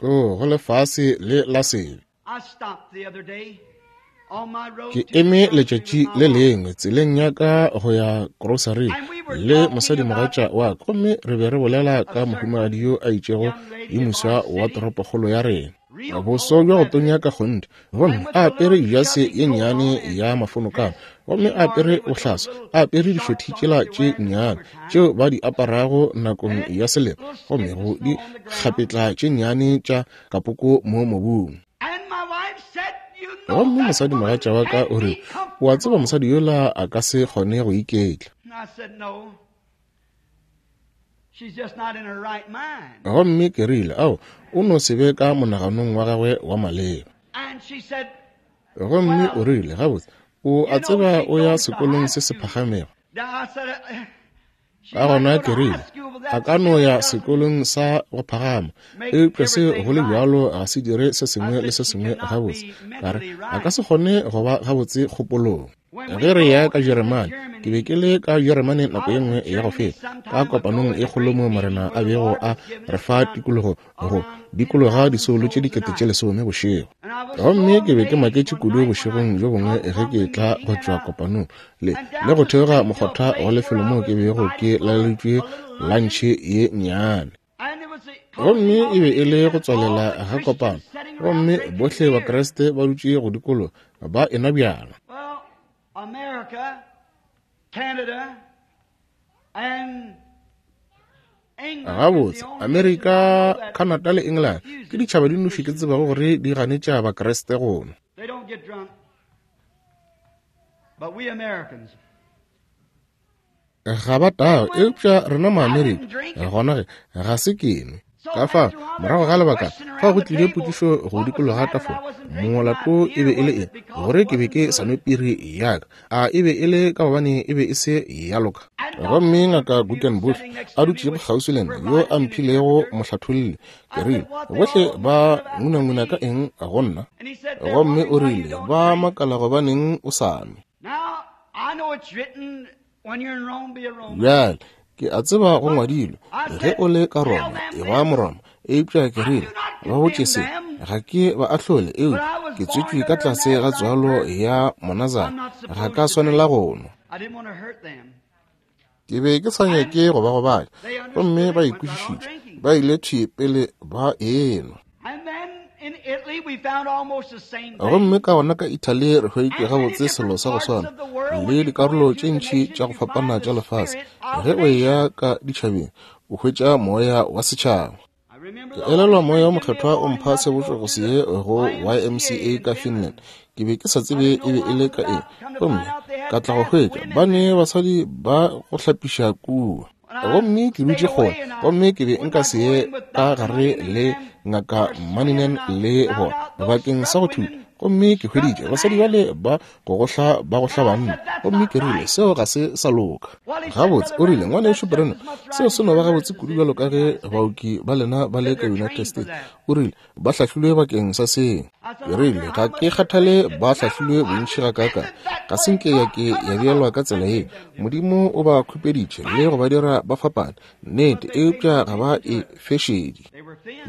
O go lefase le la sebe. Ke eme letšatši le lengwe tseleng ya ka go ya grocery le mosadimogatša wa ka, gomme re be re bolela ka mohumagadi yo a itšego yo moswa wa toropokgolo ya rena, boso bja go tonya ka kgonthe, gomme a apere jase ye nnyane ya mafonokana, gomme a apere bohlaswa, a apere dišothi tšela tše nnyane tšeo ba di aparago nakong ya selemo, gomme go di kgapetla tše nnyane tša kapoko mo mobung. Gomme mosadimogatša wa ka o re, o a tseba mosadi yola a ka se kgone go iketla. Gomme ke rile, ao, o no se be ka monaganong wa gagwe wa maleba. Gomme o rile, gabotse, o a tseba o ya sekolong se se phagamego. Ka gona ke rile, a ka no ya sekolong sa go phagama, eupša se go le bjalo ga se dire se sengwe le se sengwe gabotse. Ka re, a ka se kgone go ba gabotse kgopolong. Ge re ya ka Jeremane, ke be ke le ka Jeremane nako ye nngwe ya go feta, ka kopanong e kgolo mo Morena a bego a re fa tikologo go dikologa disoulo tše dikete tše lesome bošego. Gomme ke be ke maketše kudu bošegong bjo bongwe ge ke tla go tšwa kopanong le le go theoga mokgotha wa lefelo moo ke bego ke laleditšwe lantšhe ye nnyane. Gomme e be e le go tswalela ga kopano, gomme bohle Bakriste ba dutše go dikologa ba enwa bjala. America, Canada, and Gabotse, Amerika, Canada le England ke ditšhaba di nnoši ke tsebago gore di ganetša Bakriste go nwa. They don't get drunk. Ga ba tago, eupša rena Maamerika, gona ge ga se ke nwe. Ka fa morago ga lebaka fa go tlile potšišo go dikologa tafola, molato e be e le eng gore ke be ke sa nwe piri ya ka? A e be e le ka gobane e be e se ya loka? Gomme ngaka Guggenbuhl a dutšego kgauswi le nna, yo a mphilego mohlatholli, ke rile, bohle ba ngunanguna ka eng go nna? Gomme o rile, ba makala gobaneng o sa nwe. Bjale ke a tseba go ngwadilwe, ge o le ka Roma, e ba Moroma. Eupša ke rile, ba botše se, ga ke ba ahlole, eupša ke tswetšwe ka tlase ga tswalo ya Monazara, ga ka swanela go nwa. Ke be ke sa nyake go ba gobatša, gomme ba ikwešišitše, ba ile thwi pele ba enwa. Gomme ka gona ka Italy re hweditše gabotse selo sa go swana le dikarolo tše ntši tša go fapana tša lefase. Ge o eya ka ditšhabeng, o hwetša moya wa setšhaba. Ke elelwa moya wa mokgethwa o mpha sebotšo go se ye go Y M C A ka Finland. Ke be ke sa tsebe e be e le ka eng, gomme ka tla go hwetša ba ne basadi ba go hlapiša kua. Gomme ke dutše kgole, gomme ke be nka se ye ka gare le ngaka Maninen le bona bakeng sa go thuta. Gomme ke hweditše basadi bale ba go gohla ba gohla banna, gomme ke rile, seo ga se sa loka. Gabotse, o rile, ngwanešu Branham, seo se no ba gabotse kudu bjalo ka ge baoki ba lena ba le ka United States. O rile, ba hlahlilwe bakeng sa seo. Ke rile, ga ke kgathale ba hlahlilwe bontši gakaakang, ga se nke ya ke ya beelwa ka tsela ye. Modimo o ba khupeditše le go ba dira ba fapane, nnete, eupša ga ba e fešedi.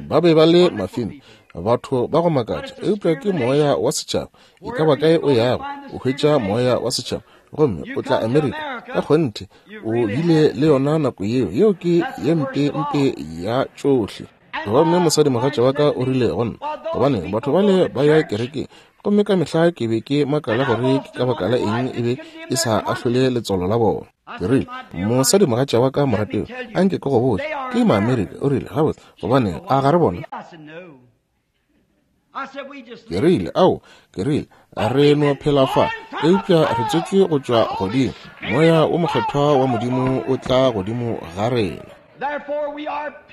Ba be ba le mafeme, batho ba go makatša, eupša ke moya wa setšhaba. E ka ba kae o yago, o hwetša moya wa setšhaba. Gomme o tla Amerika, ka kgonthe o bile le yona nako yeo. Yeo ke ye mpe mpe ya tšohle. Gomme mosadimogatša wa ka o rile go nna, gobane batho bale ba ya kerekeng, gomme ka mehla ke be ke makala gore ke ka baka la eng e be e sa ahlole letswalo la bona. Ke rile, mosadimogatša wa ka morateo, anke ke go botše, ke Maamerika. O rile, gabotse, gobane a ga re bona? Ke rile, ao, ke rile, re no phela fa, eupša re tswetšwe go tšwa godimo. Moya o mokgethwa wa Modimo o tla godimo ga rena.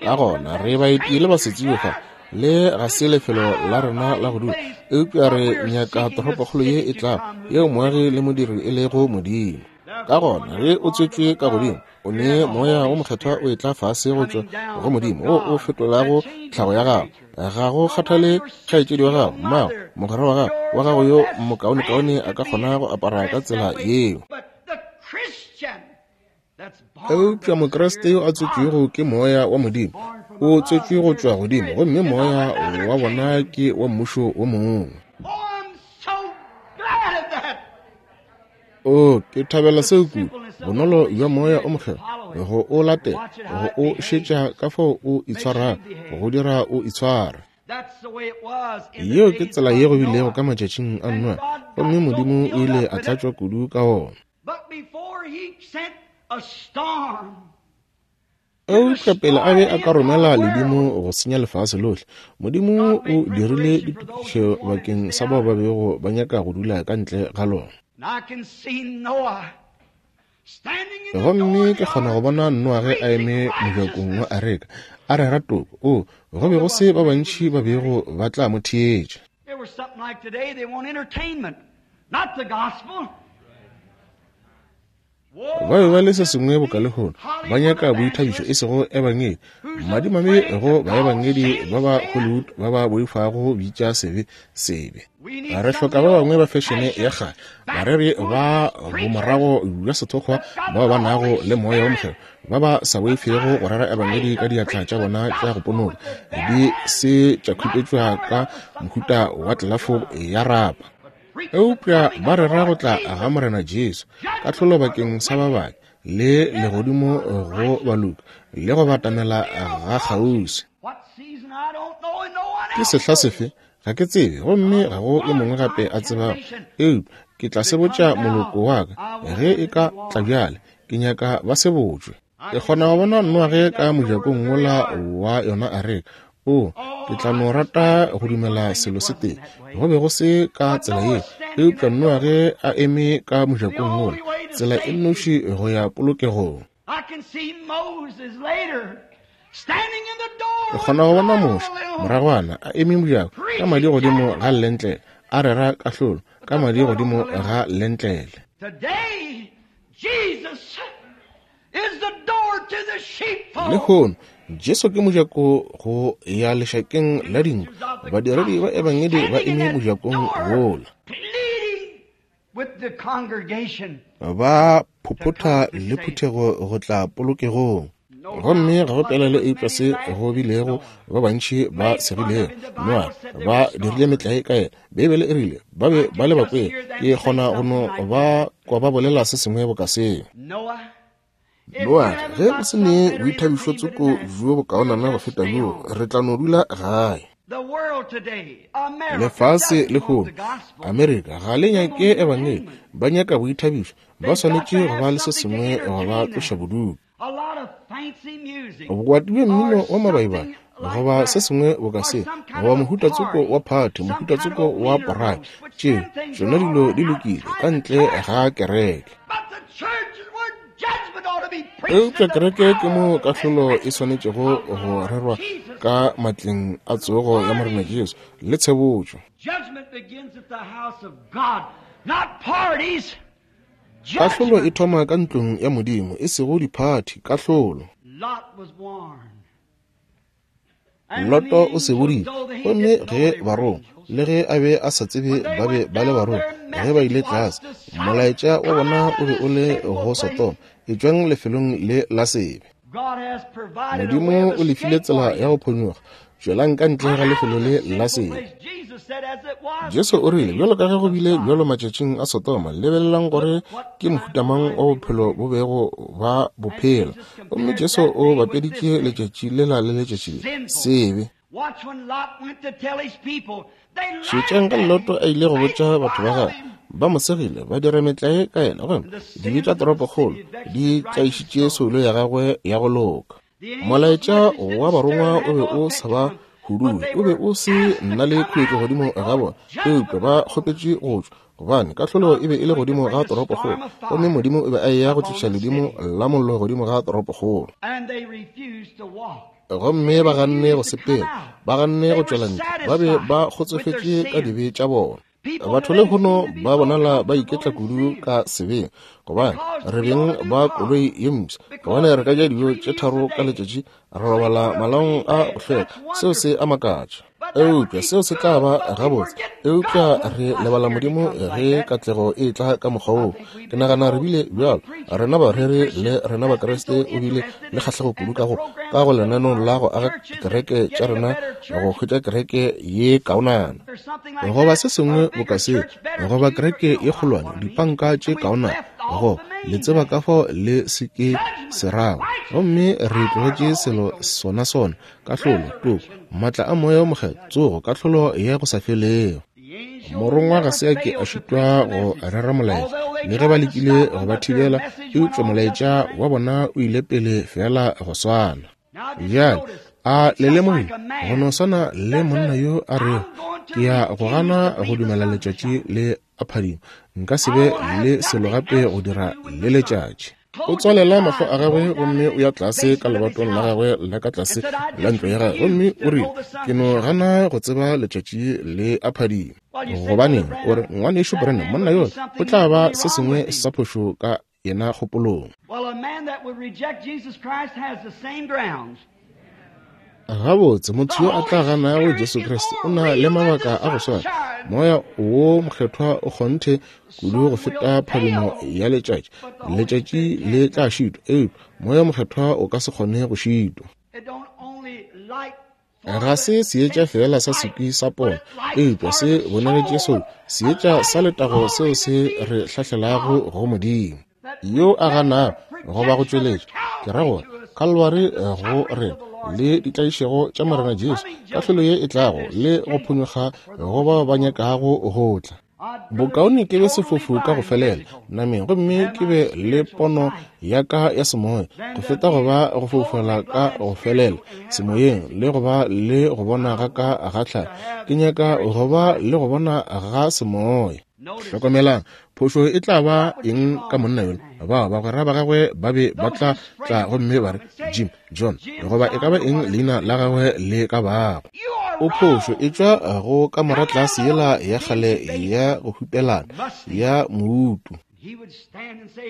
Ka gona re baeti le basetsebi fa, le ga se lefelo la rena la go dula, eupša re nyaka toropokgolo ye e tlago, yeo moagi le modiri e lego Modimo. Ka gona ge o tswetšwe ka godimo, o ne moya o mokgethwa o etla fase go tšwa go Modimo, wo o fetolago tlhago ya gago. Ga go kgathale kgaetšedi wa gago, mmago, mogwera wa gago, wa gago yo mokaonekaone a ka kgona go apara ka tsela yeo. Eupša Mokriste yo a tswetšwego ke moya wa Modimo, o tswetšwe go tšwa godimo, gomme moya wa bona ke wa mmušo wo mongwe. O, ke thabela seo kudu, bonolo bja moya o mokgethwa, go o latela, go o šetša ka fao o itshwarago, go dira o itshware. Yeo ke tsela ye go bilego ka matšatšing a Noa, gomme Modimo o ile a tlatšwa kudu ka ona. Eupša pele a be a ka romela ledimo go senya lefase lohle, Modimo o dirile ditokišo bakeng sa bao ba bego ba nyaka go dula ka ntle ga lona. Gomme ke kgona go bona Noa ge a eme mojakong wa areka a rera toko. O, go be go se ba bantši ba bego ba tla mo theetša. Ba be ba le se sengwe boka lehono, ba nyaka boithabišo e sego ebangedi. Madimame go baebangedi ba ba Hollywood ba ba boifago bitša sebe sebe. Re hloka ba bangwe ba fešene ya kgale, bareri ba bomorago bja sethokgwa bao ba nago le moya wa mokgethwa, ba ba sa boifego go rera ebangedi ka diatla tša bona tša go ponoka, di se tša khupetšwa ka mohuta wa tlelafo ya rapa. Eupša ba rera go tla ga Morena Jesu, kahlolo bakeng sa ba babe, le legodimo go baloki, le go batamela ga kgauswi. Ke sehla sefe? Ga ke tsebe, gomme ga go yo mongwe gape a tsebago. Eupša ke tla se botša moloko wa ka ge e ka tla bjale, ke nyaka ba se botšwe. Ke kgona go bona Noage ka mojakong wola wa yona areka. O, ke tla no rata go dumela selo se tee. Go be go se ka tsela ye, eupša Noage a eme ka mojakong wola, tsela e nnoši go ya polokegong. Ke kgona go bona Moshe moragwana a eme mojako ka madi godimo ga lentlele, a rera kahlolo ka madi godimo ga lentlele. Lehono Jesu ke mojako go ya lešakeng la dinku. Badiredi ba ebangedi ba eme mojakong wola, ba phophotha le phuthego go tla polokegong. Gomme ga go pelaelo eupša se go bilego ba bantši ba segilego Noa ba dirile metlae ka yena. Beibele e rile ba be ba le bakwele. Ke kgona go no ba kwa ba bolela se sengwe boka seo. Noa, ge o se ne boithabišo tsoko bjo bokaonana go feta bjo, re tla no dula gae. Lefase lehono, Amerika ga le nyake ebangedi, ba nyaka boithabišo. Ba swanetše go ba le se sengwe go ba tloša bodutu. Bokwati bja mmino wa mabaibai, goba se sengwe boka se, goba mohuta tsoko wa phathi, mohuta tsoko wa porai, tšeo tšona dilo di lokile ka ntle ga kereke. Eupša kereke ke mo kahlolo e swanetšego go rerwa ka matleng a tsogo ya Morena Jesu le tshebotšo. Kahlolo e thoma ka ntlong ya Modimo, e sego diphathi, kahlolo. Loto o seboditše, gomme ge barongwa, le ge a be a sa tsebe ba be ba le barongwa, ge ba ile tlase, molaetša wa bona o be o le go Sodoma, etšwang lefelong le la sebe. Modimo o lefile tsela ya go phonyokga, tšwelang ka ntle ga lefelo le la sebe. Jesu o rile, bjalo ka ge go bile bjalo matšatšing a Sodoma, lebelelang gore ke mohutamang wa bophelo bo bego ba bophela. Gomme Jesu o bapeditše letšatši lela le letšatši le, sebe. Šetšang ka Loto a ile go botša batho ba gagwe, ba mo segile, ba dira metlae ka yena, gomme dibe tša toropokgolo di tlaišitše soulo ya gagwe ya go loka. Molaetša wa barongwa o be o sa ba huduwe, o be o se nna le khuetšo godimo ga bona, eupša ba kgopetše go tšwa, gobane kahlolo e be e le godimo ga toropokgolo, gomme Modimo o be a eya go tliša ledimo la mollo godimo ga toropokgolo. Gomme ba ganne go sepela, ba ganne go tšwela ntle, ba be ba kgotsofetše ka dibe tša bona. Batho lehono ba bonala ba iketla kudu ka sebeng, gobane re beng ba koloi ye mpsha, gobane re ka ja dijo tše tharo ka letšatši, re robala malaong a go hlweka. Seo se a makatša, eupša seo se tla ba gabotse. Eupša re lebala Modimo ge katlego e tla ka mokgwa woo. Ke nagana re bile bjalo, rena bareri le rena Bakriste, o bile le kgahlego kudu ka go ka go lenaneo la go aga dikereke tša rena, go hwetša kereke ye kaonana, goba se sengwe boka seo, goba kereke ye kgolwane, dipanka tše kaonana, go le tseba ka fao le se ke se rago. Gomme re tlogetše selo sona sona, kahlolo, toko, maatla a moya o mokgethwa, tsogo, kahlolo ya go sa felego. Morongwa ga se a ke a šitwa go rera molaetša, le ge ba lekile go ba thibela, eupša molaetša wa bona o ile pele fela go swana. Bjale a le lemogile, go no swana le monna yo a rego, ke ya go gana go dumela letšatši le a phadima, nka se be le selo gape go dira le letšatši. O tswalela mahlo a gagwe gomme o ya tlase ka lebatong la gagwe la ka tlase la ntlo ya gagwe, gomme o rile, ke no gana go tseba letšatši le a phadima. Gobaneng, o re, ngwanešu Branham, monna yola o tla ba se sengwe sa phošo ka yena kgopolong. Gabotse, motho yo a tla ganago Jesu Kriste o na le mabaka a go swana. Moya wo mokgethwa o kgonthe kudu go feta phadimo ya letšatši. Letšatši le tla šitwa, eupša moya mokgethwa o ka se kgone go šitwa. Ga se seetša fela sa sekwi sa pono, eupša se bonagetše seo seetša sa letago seo se re hlahlelago go Modimo. Yo a ganago goba go tšweletša, ke ra gore Kalwari go rena le ditlaišego tša Morena Jesu, kahlolo ye e tlago le go phonyokga go bao ba nyakago go tla. Bokaone ke be sefofu ka go felela nameng gomme ke be le pono ya ka ya semoya go feta go ba go foufala ka go felela semoyeng le go ba le go bona ga ka ga tlhago. Ke nyaka go ba le go bona ga semoya. Hlokomelang, phošo e tla ba eng ka monna yola? Bao bagwera ba gagwe ba be ba tla tla gomme ba re Jim, John, goba e ka ba eng leina la gagwe le ka bago. O phošo e tšwa go kamora tlase yela ya kgale ya go hupelana ya moutu.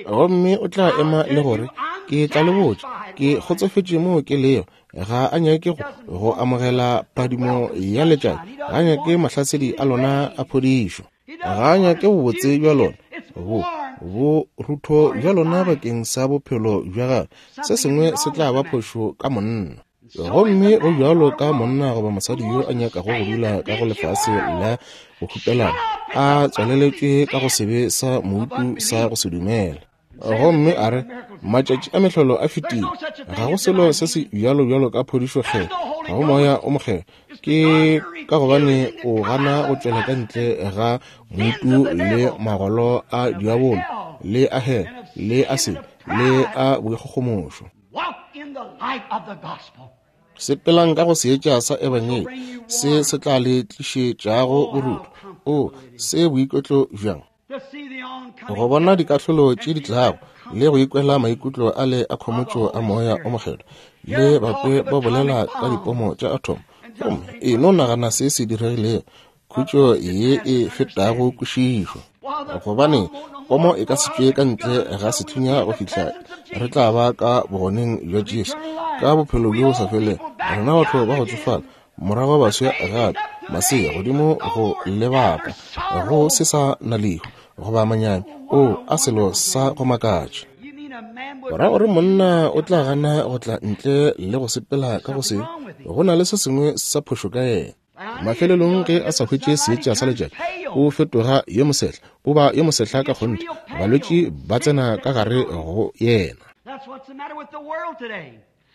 Gomme o tla ema le gore, ke tla le botša, ke kgotsofetše moo ke lego. Ga a nyake go, go amogela phadimo ya letšatši, ga a nyake mahlasedi a lona a phodišo, ga a nyake bobotse bja lona, bo bo rutho bja lona bakeng sa bophelo bja gagwe. Se sengwe se tla ba phošo ka monna. Gomme go bjalo ka monna goba mosadi yo a nyakago go dula ka go lefase la go hupelana, a tswaleletšwe ka go sebe sa moutu sa go se dumela. Gomme a re, matšatši a mehlolo a fetile, ga go selo se se bjalo bjalo ka phodišo kgetho, ga go moya o mokgetho. Ke ka gobane o gana go tšwela ka ntle ga moutu le magolo a diabolo le a hell le a sebe le a boikgogomošo. Sepelang ka go seetša sa ebangedi se se tla le tlišetšago borutho. O se boiketlo bjang go bona dikahlolo tše di tlago le go ikwela maikutlo a le a khomotšo a moya o mokgethwa le bakwe ba bolela ka dipomo tša atom. Gomme e no nagana se se diregilego, khutšo ye e fetago kwešišo, gobane pomo e ka se tšwe ka ntle ga sethunya go fihla re tla ba ka bogoneng bja Jesu ka bophelo bjo bo sa felego. Rena batho ba go tsofala morago baswa gape masea godimo go lebaka go se sa na lehu goba manyami. O a selo sa go makatša. Ra gore monna o tla gana go tla ntle le go sepela ka go se, go na le se sengwe sa phošo ka yena. Mafelelong ge a sa hwetše seetša sa letšatši, o fetoga yo mosehla, o ba yo mosehla ka kgonthe. Balwetši ba tsena ka gare go yena.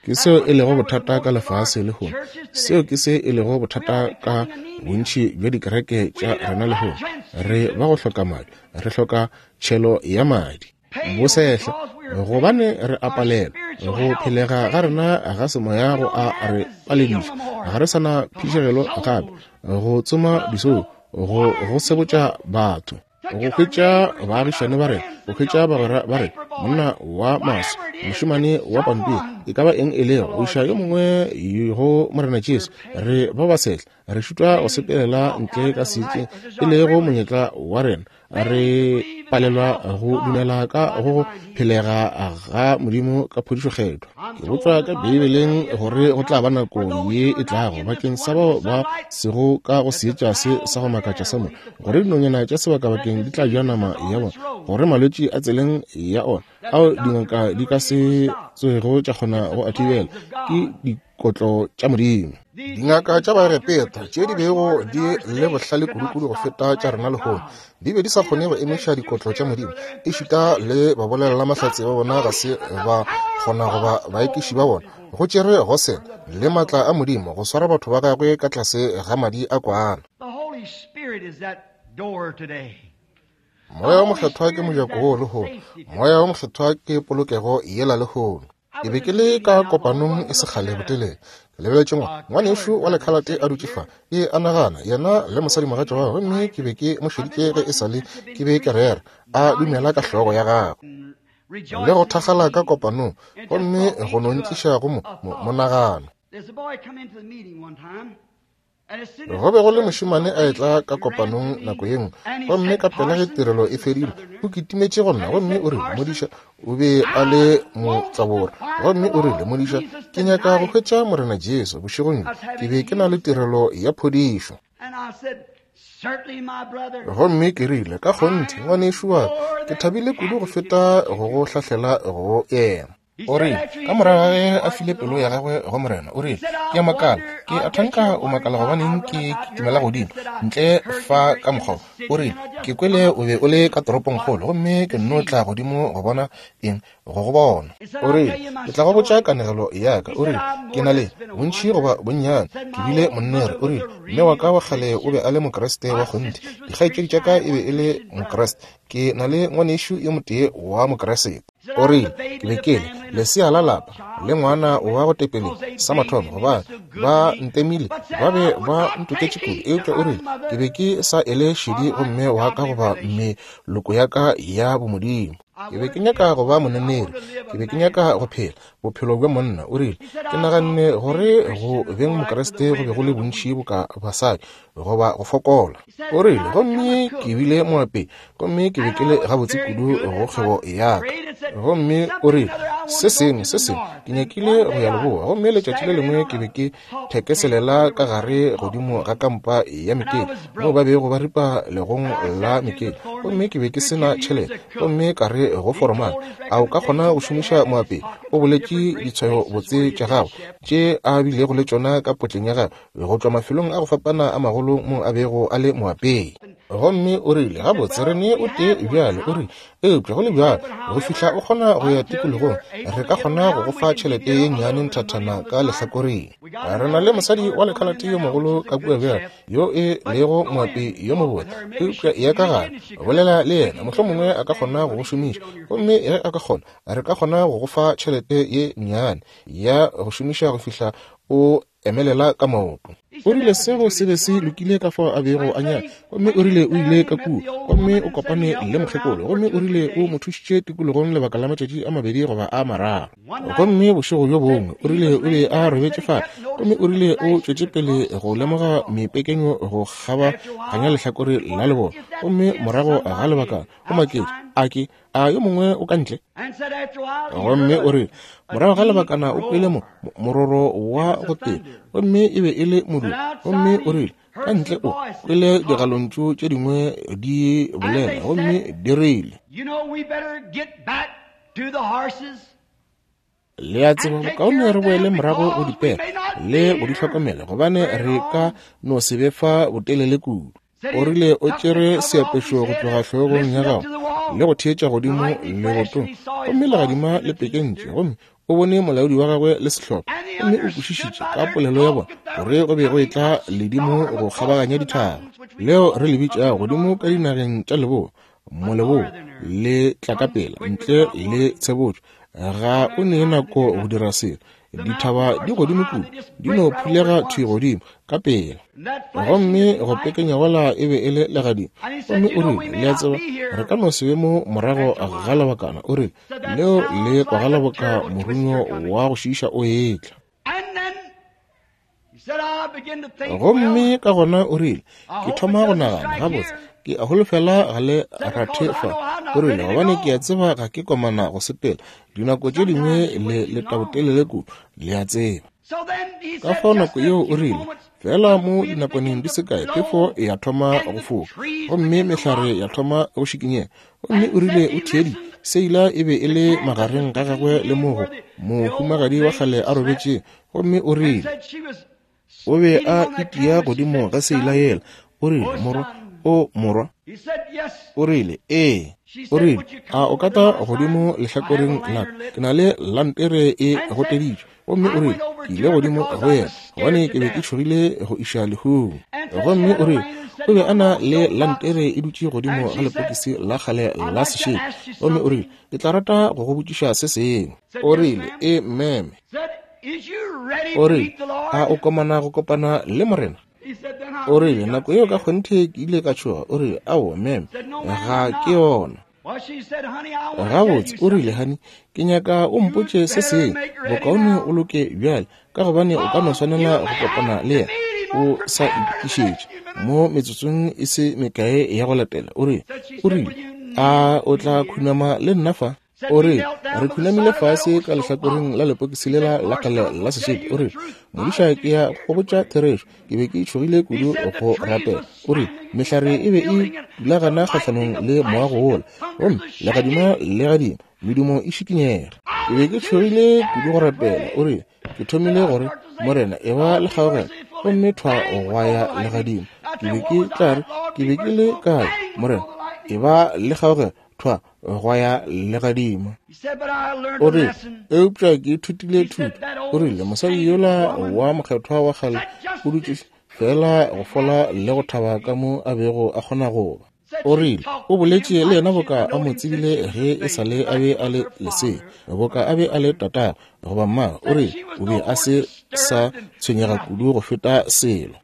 Ke seo e lego bothata ka lefase lehono. Seo ke se e lego bothata ka bontši bja dikereke tša rena lehono. Re ba go hloka madi, re hloka tšhelo ya madi. Bosehla gobane re a palelwa go phelega ga rena ga semoya go a re palediša. Ga re sana phišegelo gape go tsoma disou, go go sebotša batho, go hwetša baagišane ba rena, go hwetša bagwera ba rena, monna wa maso, mošemane wa pampiri, e ka ba eng e lego, go iša yo mongwe go Morena Jesu. Re ba basehla, re šitwa go sepelela ntle ka seetšeng e lego monyetla wa rena. Re palelwa go dumela ka go phelega ga Modimo ka phodišo kgethwa. Ke botšwa ka Beibeleng gore go tla ba nako ye e tlago bakeng sa bao ba sego ka go seetša se sa go makatša sa mo, gore dinonyana tša sebakabakeng di tla ja nama ya bona, gore malwetši a tseleng ya ona ao dingaka di ka se tswego tša kgona go a thibela ke dikotlo tša Modimo. Dingaka tša Baegepeta tše di bego di le bohlale kudukudu go feta tša rena lehono di be di sa kgone go emiša dikotlo tša Modimo. Ešita le babolelelamahlatse ba bona ga se ba kgona goba baekiši ba bona. Go tšere Gosene le maatla a Modimo go swara batho ba gagwe ka tlase ga madi a kwana. Moya wa mokgethwa ke mojako wo lehono. Moya wa mokgethwa ke polokego yela lehono. Ke be ke le ka kopanong e sekgale botelele. Ke lebeletše ngwanešu wa lekhalate a dutše fa, ke a nagana yena le mosadimogatša wa gagwe, gomme ke be ke mo šeditše ge e sa le ke be ke rera, a dumela ka hlogo ya gagwe le go thakgala ka kopanong, gomme go no ntliša go mo monagano. Go be go le mošemane a etla ka kopanong nako ye nngwe, gomme ka pela ge tirelo e fedile, o kitimetše go nna gomme o rile, modiša, o be a le motlabora, gomme o rile, modiša, ke nyaka go hwetša Morena Jesu bošegong bjo, ke be ke na le tirelo ya phodišo. Gomme ke rile, ka kgonthe ngwanešu wa ka, ke thabile kudu go feta go go hlahlela go yena. O rile, ka morago ga ge a file pelo ya gagwe go Morena, o rile, ke a makala, ke a thanka o makala gobaneng ke kitimela godimo ntle fa ka mokgwa. O rile, ke kwele o be o le ka toropongkgolo, gomme ke nno tla godimo go bona eng, go go bona. O rile, ke tla go botša kanegelo ya ka. O rile, ke na le bontši goba bonnyane, ke bile monnere. O rile, mme wa ka wa kgale o be a le Mokriste wa kgonthe, dikgaetšedi tša ka e be e le Mokriste, ke na le ngwanešu yo motee wa Mokriste. O rile, ke be ke le lesea la lapa le ngwana wa go tepeleng sa mathomo, gobane ba ntemile, ba be ba ntoketše kudu. Eupša o rile, ke be ke sa ele šedi gomme wa ka goba meloko ya ka ya bomodimo. Ke be ke nyaka go ba moneneri, ke be ke nyaka go phela bophelo bja monna. O rile, ke naganne gore go beng Mokriste go be go le bontši boka basadi goba go fokola. O rile, gomme ke bile moapei, gomme ke be ke le gabotse kudu go kgwebo ya ka. Gomme o rile, se sengwe se sengwe, ke nyakile go ya leboa, gomme letšatši le lengwe ke be ke thekeselela ka gare godimo ga kampa ya mekete moo ba bego ba ripa legong la mekete, gomme ke be ke se na tšhelete, gomme ka re go foromane, a o ka kgona go šomiša moapei? O boletše ditshwayo botse tša gagwe tše a bilego le tšona ka potleng ya gagwe go tšwa mafelong a go fapana a magolo mo a bego a le moapei. Gomme o rile, gabotse re ne o tee bjale. O rile, eupša go le bjalo, go fihla o kgona go ya tikologong, re ka kgona go go fa tšhelete ye nnyane nthathana ka lehlakoreng. Re na le mosadi wa lekhalate yo mogolo ka kua bjale, yo e lego moapei yo mobotse, eupša ya ka gare, bolela le yena, mohlomongwe a ka kgona go go šomiša. Gomme ge a ka kgona, re ka kgona go go fa tšhelete ye nnyane ya go šomiša go fihla o emelela ka maoto. O rile seo se be se lokile ka fao a bego a nyaka. Gomme o rile o ile ka kua, gomme o kopane le mokgekolo, gomme o rile o mo thušitše tikologong lebaka la matšatši a mabedi goba a mararo. Gomme bošego bjo bongwe o rile o be a robetše fale, gomme o rile o tšwetše pele go lemoga mepekenyo go kgabaganya lehlakore la leboa. Gomme morago ga lebaka o maketše, a ke a yo mongwe o ka ntle? Gomme o rile morago ga lebakana o kwele mo mororo wa go tee, gomme e be e le modumo. Gomme o rile ka ntle o kwele digalontšu tše dingwe di bolela, gomme di rile, le a tseba bokaone re boele morago go dipere le go di hlokomela, gobane re ka no se be fa botelele kudu. O rile o tšere seapešo go tloga hlogong ya gago le go theetša godimo lebotong, gomme legadima le pekentše, gomme o bone molaodi wa gagwe le sehlopha, gomme o kwešišitše ka polelo ya bona gore go be go etla ledimo go kgabaganya dithaba leo re le bitšago godimo ka dinageng tša leboa, moleboa le tla ka pela ntle le tshebotšo. Ga o ne nako go dira selo, dithaba di godimo kudu, di no phulega thwi godimo ka pela. Gomme go pekenya gola e be e le legadimo. Gomme o rile, le a tseba, re ka no se be mo morago ga lebakana. O rile, leo le kwagala boka morunyo wa go šiiša o etla. Gomme ka gona o rile, ke thoma go nagana, gabotse ke a holofela ga le rathe fa. O rile, gobane ke a tseba ga ke komana go sepela, dinako tše dingwe le letabotelele kudu, le a tseba. Ka fao nako yeo o rile, fela mo dinakwaneng di se kae phefo ya thoma go foka, gomme mehlare ya thoma go šikinyega. Gomme o rile o theeditše, seila e be e le magareng ga gagwe le mogo mohumagadi wa kgale a robetše. Gomme o rile o be a itia godimo ga seila yela. O rile, morwa, o morwa. O rile, ee. O rile, a o ka tla godimo lehlakoreng la ka? Ke na le lantere e goteditšwe. Gomme o rile, ke ile godimo go yena, gobane ke be ke tšhogile go iša lehung. Gomme o rile, o be a na le lantere e dutše godimo ga lepokisi la kgale la sešedi. Gomme o rile, ke tla rata go go botšiša se sengwe. O rile, e meme. O rile, a o komana go kopana le Morena? O rile, nako yeo ka kgonthe ke ile ka tšhoga. O rile, aowa meme, ga ke yona. Gabotse, o rile, honey, ke nyaka o mpotše se sengwe, bokaone o loke bjale, ka gobane o ka no swanela go kopana le yena o sa itokišetše mo metsotsong e se mekae ya go latela. O rile, o rile, a o tla khunama le nna fa? O rile, re khunamile fase ka lehlakoreng la lepokisi lela la kgale la sešedi. O rile, modiša, ke ya go botša therešo, ke be ke tšhogile kudu go rapela. O rile, mehlare e be e dulagana kgahlanong le moago wola, gomme legadima le gadima, Medumo e šikinyega. Ke be ke tšhogile kudu go rapela. O rile, ke thomile gore, Morena, e ba le kgaogelo, gomme thwa gwa ya legadimo. Ke be ke tla re, ke be ke le kae, Morena, e ba le kgaogelo, thwa gwa ya legadimo. O rile, eupša ke ithutile thuto. O rile, mosadi yola wa mokgethwa wa kgale o dutše fela go fola le go thaba ka mo a bego a kgona go ba. O rile, o boletše le yena boka a mo tsebile ge e sa le a be a le lesea, boka a be a le tatago goba mmagwe. O rile, o be a se sa tshwenyega kudu go feta selo.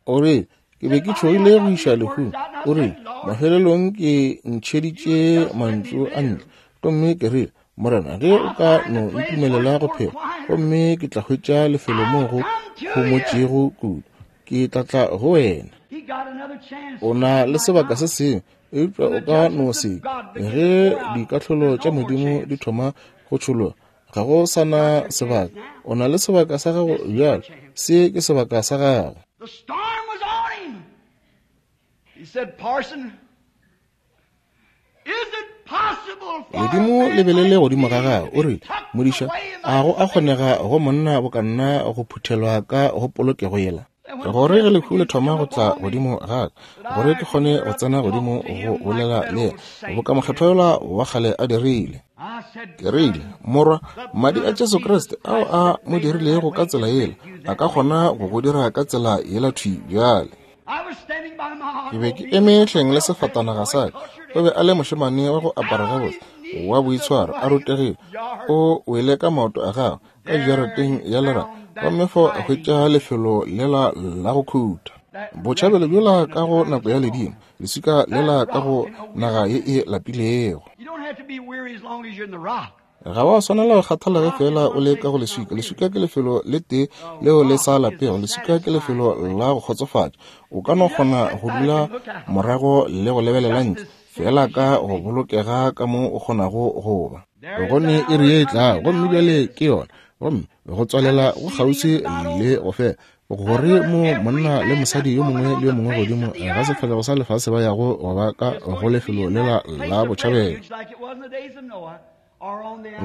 O rile, ke be ke tšhogile go iša lehung. O rile, mafelelong ke ntšheditše mantšu a ntle, gomme ke rile, Morena, ge o ka no ntumelela go phela, gomme ke tla hwetša lefelo mo go homotšego kudu, ke tla tla go wena. O na le sebaka se sengwe, eupša o ka no se ge dikahlolo tša Modimo di thoma go tšhologa, ga go sa na sebaka. O na le sebaka sa gago bjalo, se ke sebaka sa gago. The storm was on him. He said, Parson, is it possible for Ledimo le be le le godimo ga gagwe. O rile, modiša, a go a kgonega go monna boka nna go phuthelwa ka go polokego yela? Gore ge lehu le thoma go tla godimo ga ka, gore ke kgone go tsena godimo go bolela le yena, boka mokgethwa yola wa kgale a dirile. Ke rile, morwa, madi a Jesu Kriste ao a mo dirilego ka tsela yela, a ka kgona go go dira ka tsela yela thwi bjale. Ke be ke eme hleng le sefatanaga sa ka. O be a le mošemane wa go apara gabotse, wa boitshwaro, a rutegile. O wele ka maoto a gagwe ka jarateng ya lerato, gomme fao a hwetša lefelo lela la go khuta. Botšhabelo bjola ka go nako ya ledimo, leswika lela ka go naga ye e lapilego. You don't have to be weary as long as you're in the rock. Ga wa swanela go kgathala ge fela o le ka go leswika. Leswika ke lefelo le tee leo le sa lapego. Leswika ke lefelo la go kgotsofatša. O ka no kgona go dula morago le go lebelela ntle, fela ka go bolokega ka mo o kgonago go ba. Gone iri ye e tlago, gomme bjale ke yona, gomme go tswalela go kgauswi le go fela, gore mo monna le mosadi yo mongwe le yo mongwe godimo ga sefahlego sa lefase ba yago go ba ka go lefelo lela la botšhabelo.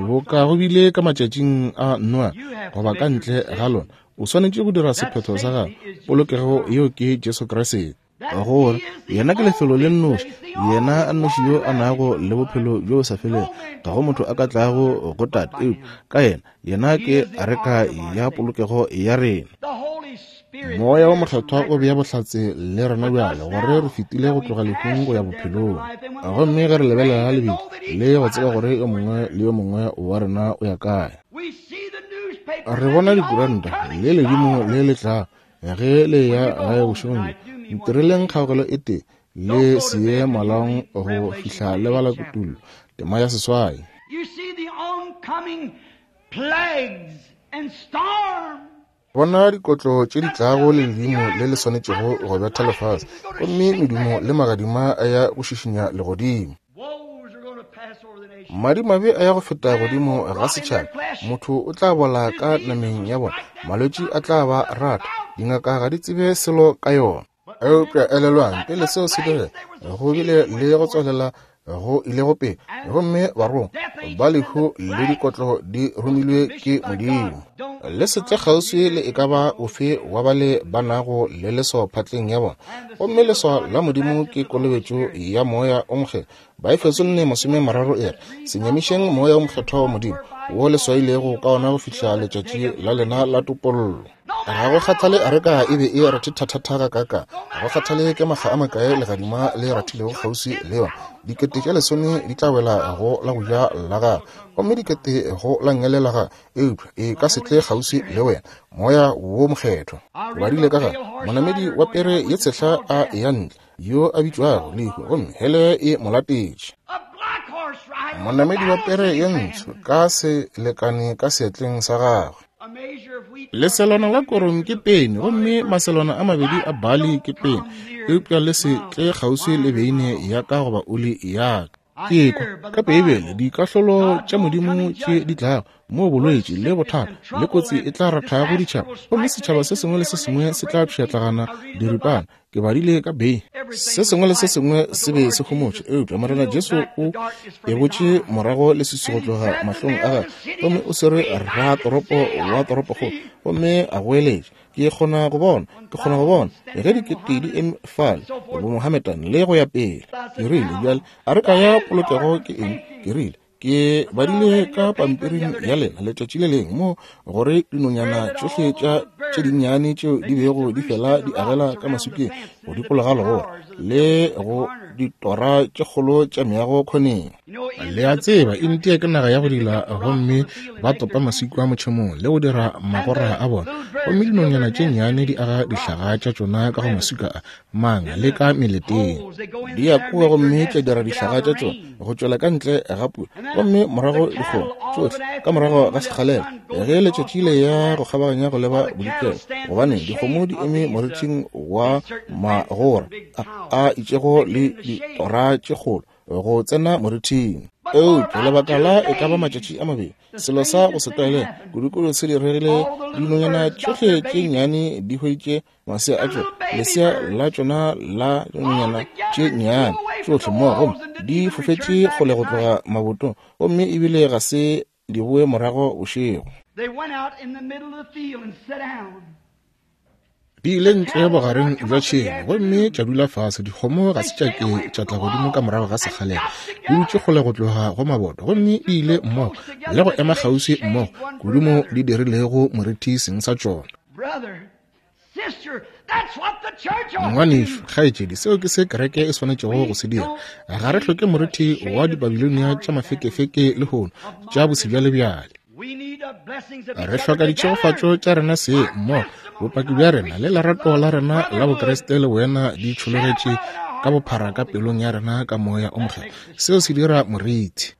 Boka go bile ka matšatšing a Noa goba ka ntle ga lona, o swanetše go dira sephetho sa gago. Polokego yeo ke Jesu Kriste. Gore yena ke lefelo le nnoši, yena a nnoši yo a nago le bophelo bjo bo sa felego. Ga go motho a ka tlago go Tate eupša ka yena. Yena ke areka ya polokego ya rena. Moya wa Mokgethwa o bea bohlatse le rena bjale gore re fetile go tloga lehung go ya bophelong. Gomme ge re lebelela lebitla le go tseba gore yo mongwe le yo mongwe wa rena o ya kae. Re bona dikuranta le ledimo le le tlago ge le ya gae bošegong bjo. Ntireleng kgaogelo e tee le se ye malaong go fihla le bala kutullo tema ya seswai. You see the oncoming plagues and storms. Bona dikotlo tše di tlago le ledimo le le swanetšego go betha lefase, gomme medumo le magadima a ya go šišinya legodimo. Woes are going to pass over the nation. Madimabe a ya go feta godimo ga setšhaba. Motho o tla bola ka nameng ya bona, malwetši a tla ba rata, dingaka ga di tsebe selo ka yona. Eupša elelwang, pele seo se direga, go bile le go tswalela go ilego pele, gomme barongwa ba lehu le dikotlo di romilwe ke Modimo. Le se tle kgauswi le e ka ba ofe wa bale ba nago le leswao phatleng ya bona, gomme leswao la Modimo ke kolobetšo ya Moya o Mokgethwa. Baefeso nne masome mararo e re, se nyamišeng Moya o Mokgethwa wa Modimo, wo le swailego ka ona go fihla letšatši la lena la topollo. Ga go kgathale areka e be e rathethathatha gakaka, ga go kgathale ke makga a makae legadima le rathilego kgauswi le yona, dikete tše lesome di tla wela go la go ja la gago, gomme dikete go la nngele la gago, eupša e ka se tle kgauswi le wena. Moya wo Mokgethwa. Ke badile ka ga monamedi wa pere ye tshehla a eya ntle, yo a bitšwago Lehu, gomme hele e mo latetše. A black horse rider. Monamedi wa pere ye ntsho ka selekane ka seatleng sa gagwe. A measure of wheat. Leselwana la korong ke peni, gomme maselwana a mabedi a bali ke peni, eupša le se tle kgauswi le beine ya ka goba oli ya ka. Ke kwa ka Beibele dikahlolo tša Modimo tše di tlago, moo bolwetši le bothata le kotsi e tla rathago ditšhaba, gomme setšhaba se sengwe le se sengwe se tla pšhatlagana diripana. Ke badile ka Bay, se sengwe le se sengwe se be se homotše, eupša Morena Jesu o e botše morago leswiswi go tloga mahlong a gagwe, gomme o swere ratoropo wa toropokgolo, gomme a goeletša, ke kgona go bona, ke kgona go bona ge dikete di eme fale, bomohamedan le go ya pele. Ke rile, bjale a re ka ya polokego ke eng? Ke rile, ke badile ka pampiring ya lena letšatši le lengwe mo gore dinonyana tšohle tša tše dinnyane tšeo di bego di fela di agela ka maswikeng go dikologa legora le go ditora tše kgolo tša meago khoneng. Le a tseba, India ke naga ya go dila, gomme ba topa maswika a motšhemong le go dira magora a bona, gomme dinonyana tše nnyane di aga dihlaga tša tšona ka go maswika a mangwe le ka meleteng. Di ya kua gomme tša dira dihlaga tša tšona go tšwela ka ntle ga pula, gomme morago dikgomo tšohle ka morago ga sekgalela ge letšatši le ya go kgabaganya go leba bodikela, gobane dikgomo di eme morithing wa magora a, a itšego le ditora tše kgolo go tsena morithing. Eupša lebaka la e ka ba matšatši a mabedi, selo sa go se tlwaelege kudukudu se diregile. Dinonyana tšohle tše nnyane di hweditše masea a tšona, lesea la tšona la dinonyana tše nnyane tšohle mmogo, gomme di fofetše kgole go tloga mabotong, gomme ebile ga se di boe morago bošego. Di ile ntle bogareng bja tšhemo gomme tša dula fase. Dikgomo ga se tša ke tša tla godimo ka morago ga sekgalela, di dutše kgole go tloga go maboto, gomme di ile mmogo le go ema kgauswi mmogo kudu mo di dirilego moriti seng sa tšona. Ngwanešu, kgaetšedi, seo ke se kereke e swanetšego go se dira. Ga re hloke moriti wa dibabilonia tša mafekefeke lehono, tša bosebjalebjale. Re hloka ditšhegofatšo tša rena se mmogo, bopaki bja rena le lerato la rena la Bokriste le wena di tšhologetše ka bophara ka pelong ya rena ka moya o mokgethwa. Seo se dira moriti.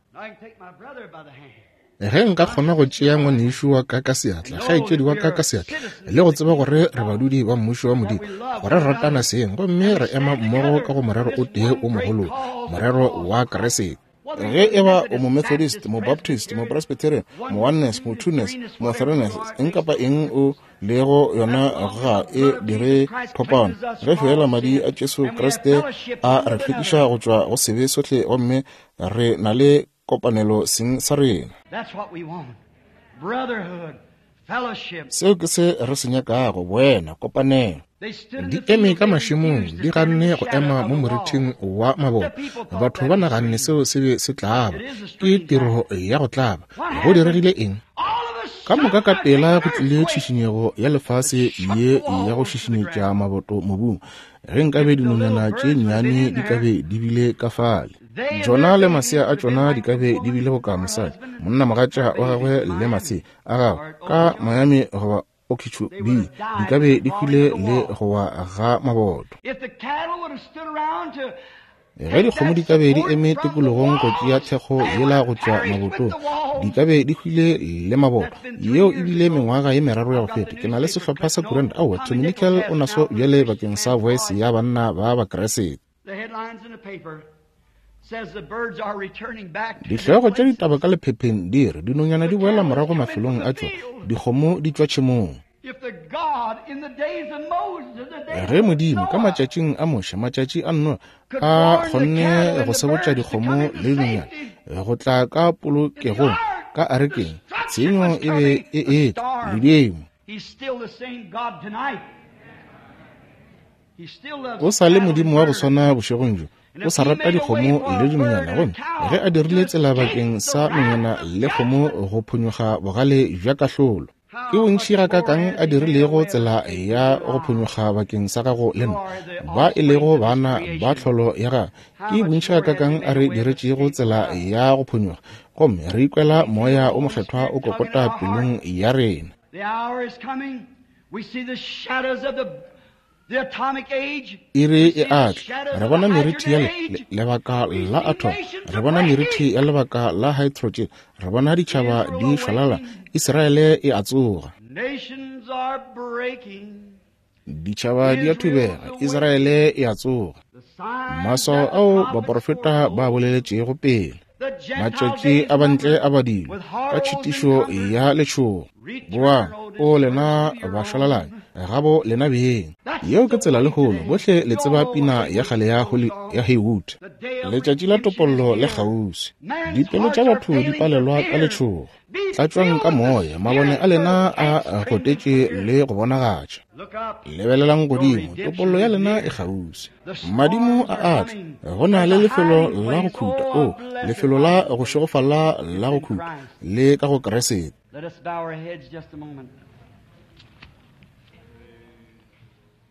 Ge nka kgona go tšea ngwanešu wa ka ka seatla, kgaetšedi wa ka ka seatla, le go tseba gore re badudi ba mmušo wa Modimo, gore re ratana seng, gomme re ema mmogo ka go morero o tee o mogolo, morero wa Kriste. Ge e ba o mo Methodist, mo Baptist, mo Presbyterian, mo Oneness, mo Twoness, mo Threeness, eng kapa eng o lego yona ga e dire phapano. Ge fela madi a Jesu Kriste a re hlwekiša go tšwa go sebe sohle, gomme re na le kopanelo seng sa rena. Seo ke se re se nyakago, boena, kopanelo. Di eme ka mašemong, di ganne go ema mo morithing wa maboto. Batho ba naganne seo se be se tlaba, ke tiro ya go tlaba. Go diregile eng? Ka moka ka pela go tlile tšhišinyego ya lefase ye ya go šišinyetša maboto mobung. Ge nkabe dinonyana tše nnyane di ka be di bile ka fale, tšona le masea a tšona di ka be di bile boka mosadi, monna mogatša wa gagwe le masea a gagwe ka Miami goba Okeechobee, di ka be di hwile le go wa ga maboto. Ge dikgomo di ka be di eme tikologong go tšea thekgo yela go tšwa mabotong, di ka be di hwile le maboto. Yeo e bile mengwaga ye meraro ya go feta. Ke na le sehlopha sa kuranta. Aowa, Tommy Nickel o naso bjale bakeng sa Voice ya banna ba Bakreste. Dihlogo tša ditaba ka lephepheng di re dinonyana di boela morago mafelong a tšona, dikgomo di tšwa tšhemong. Ge Modimo ka matšatšing a Moshe, matšatši a Noa, a kgonne go sebotša dikgomo le dinonyana go tla ka polokegong ka arekeng, tshenyo e be e etla ledimo. O sa le Modimo wa go swana bošegong bjo, o sa rata dikgomo le dinonyana, gomme ge a dirile tsela bakeng sa nonyana le kgomo go phonyokga bogale bja kahlolo, ke bontši gakakang a dirilego tsela ya go phonyokga bakeng sa gago le nna, ba e lego bana ba tlholo ya gagwe. Ke bontši gakakang a re diretšego tsela ya go phonyokga, gomme re ikwela moya o mokgethwa o kokota pelong ya rena. Iri e a tla, re bona meriti ya lebaka la atom, re bona meriti ya lebaka la hydrogen, re bona ditšhaba di šwalala, Israele e a tsoga. Ditšhaba di a thubega, Israele e a tsoga. Maswao ao baprofeta ba boleletšego pele. Matšatši a bantle a badilwe ka tšhitišo ya letšhogo. Boang, o lena bašwalalani, gabo lena beng. Yeo ke tsela lehono, bohle le tseba pina ya kgale ya ya Haywood. Letšatši la topollo le kgauswi. Dipelo tša batho di palelwa ka letšhogo. Tlatšwang ka moya, mabone a lena a gotetše le go bonagatša. Lebelelang godimo, topollo ya lena e kgauswi. Madimo a atla, go na le lefelo la go khuta, o lefelo la go šegofala la go khuta, le ka go Kriste.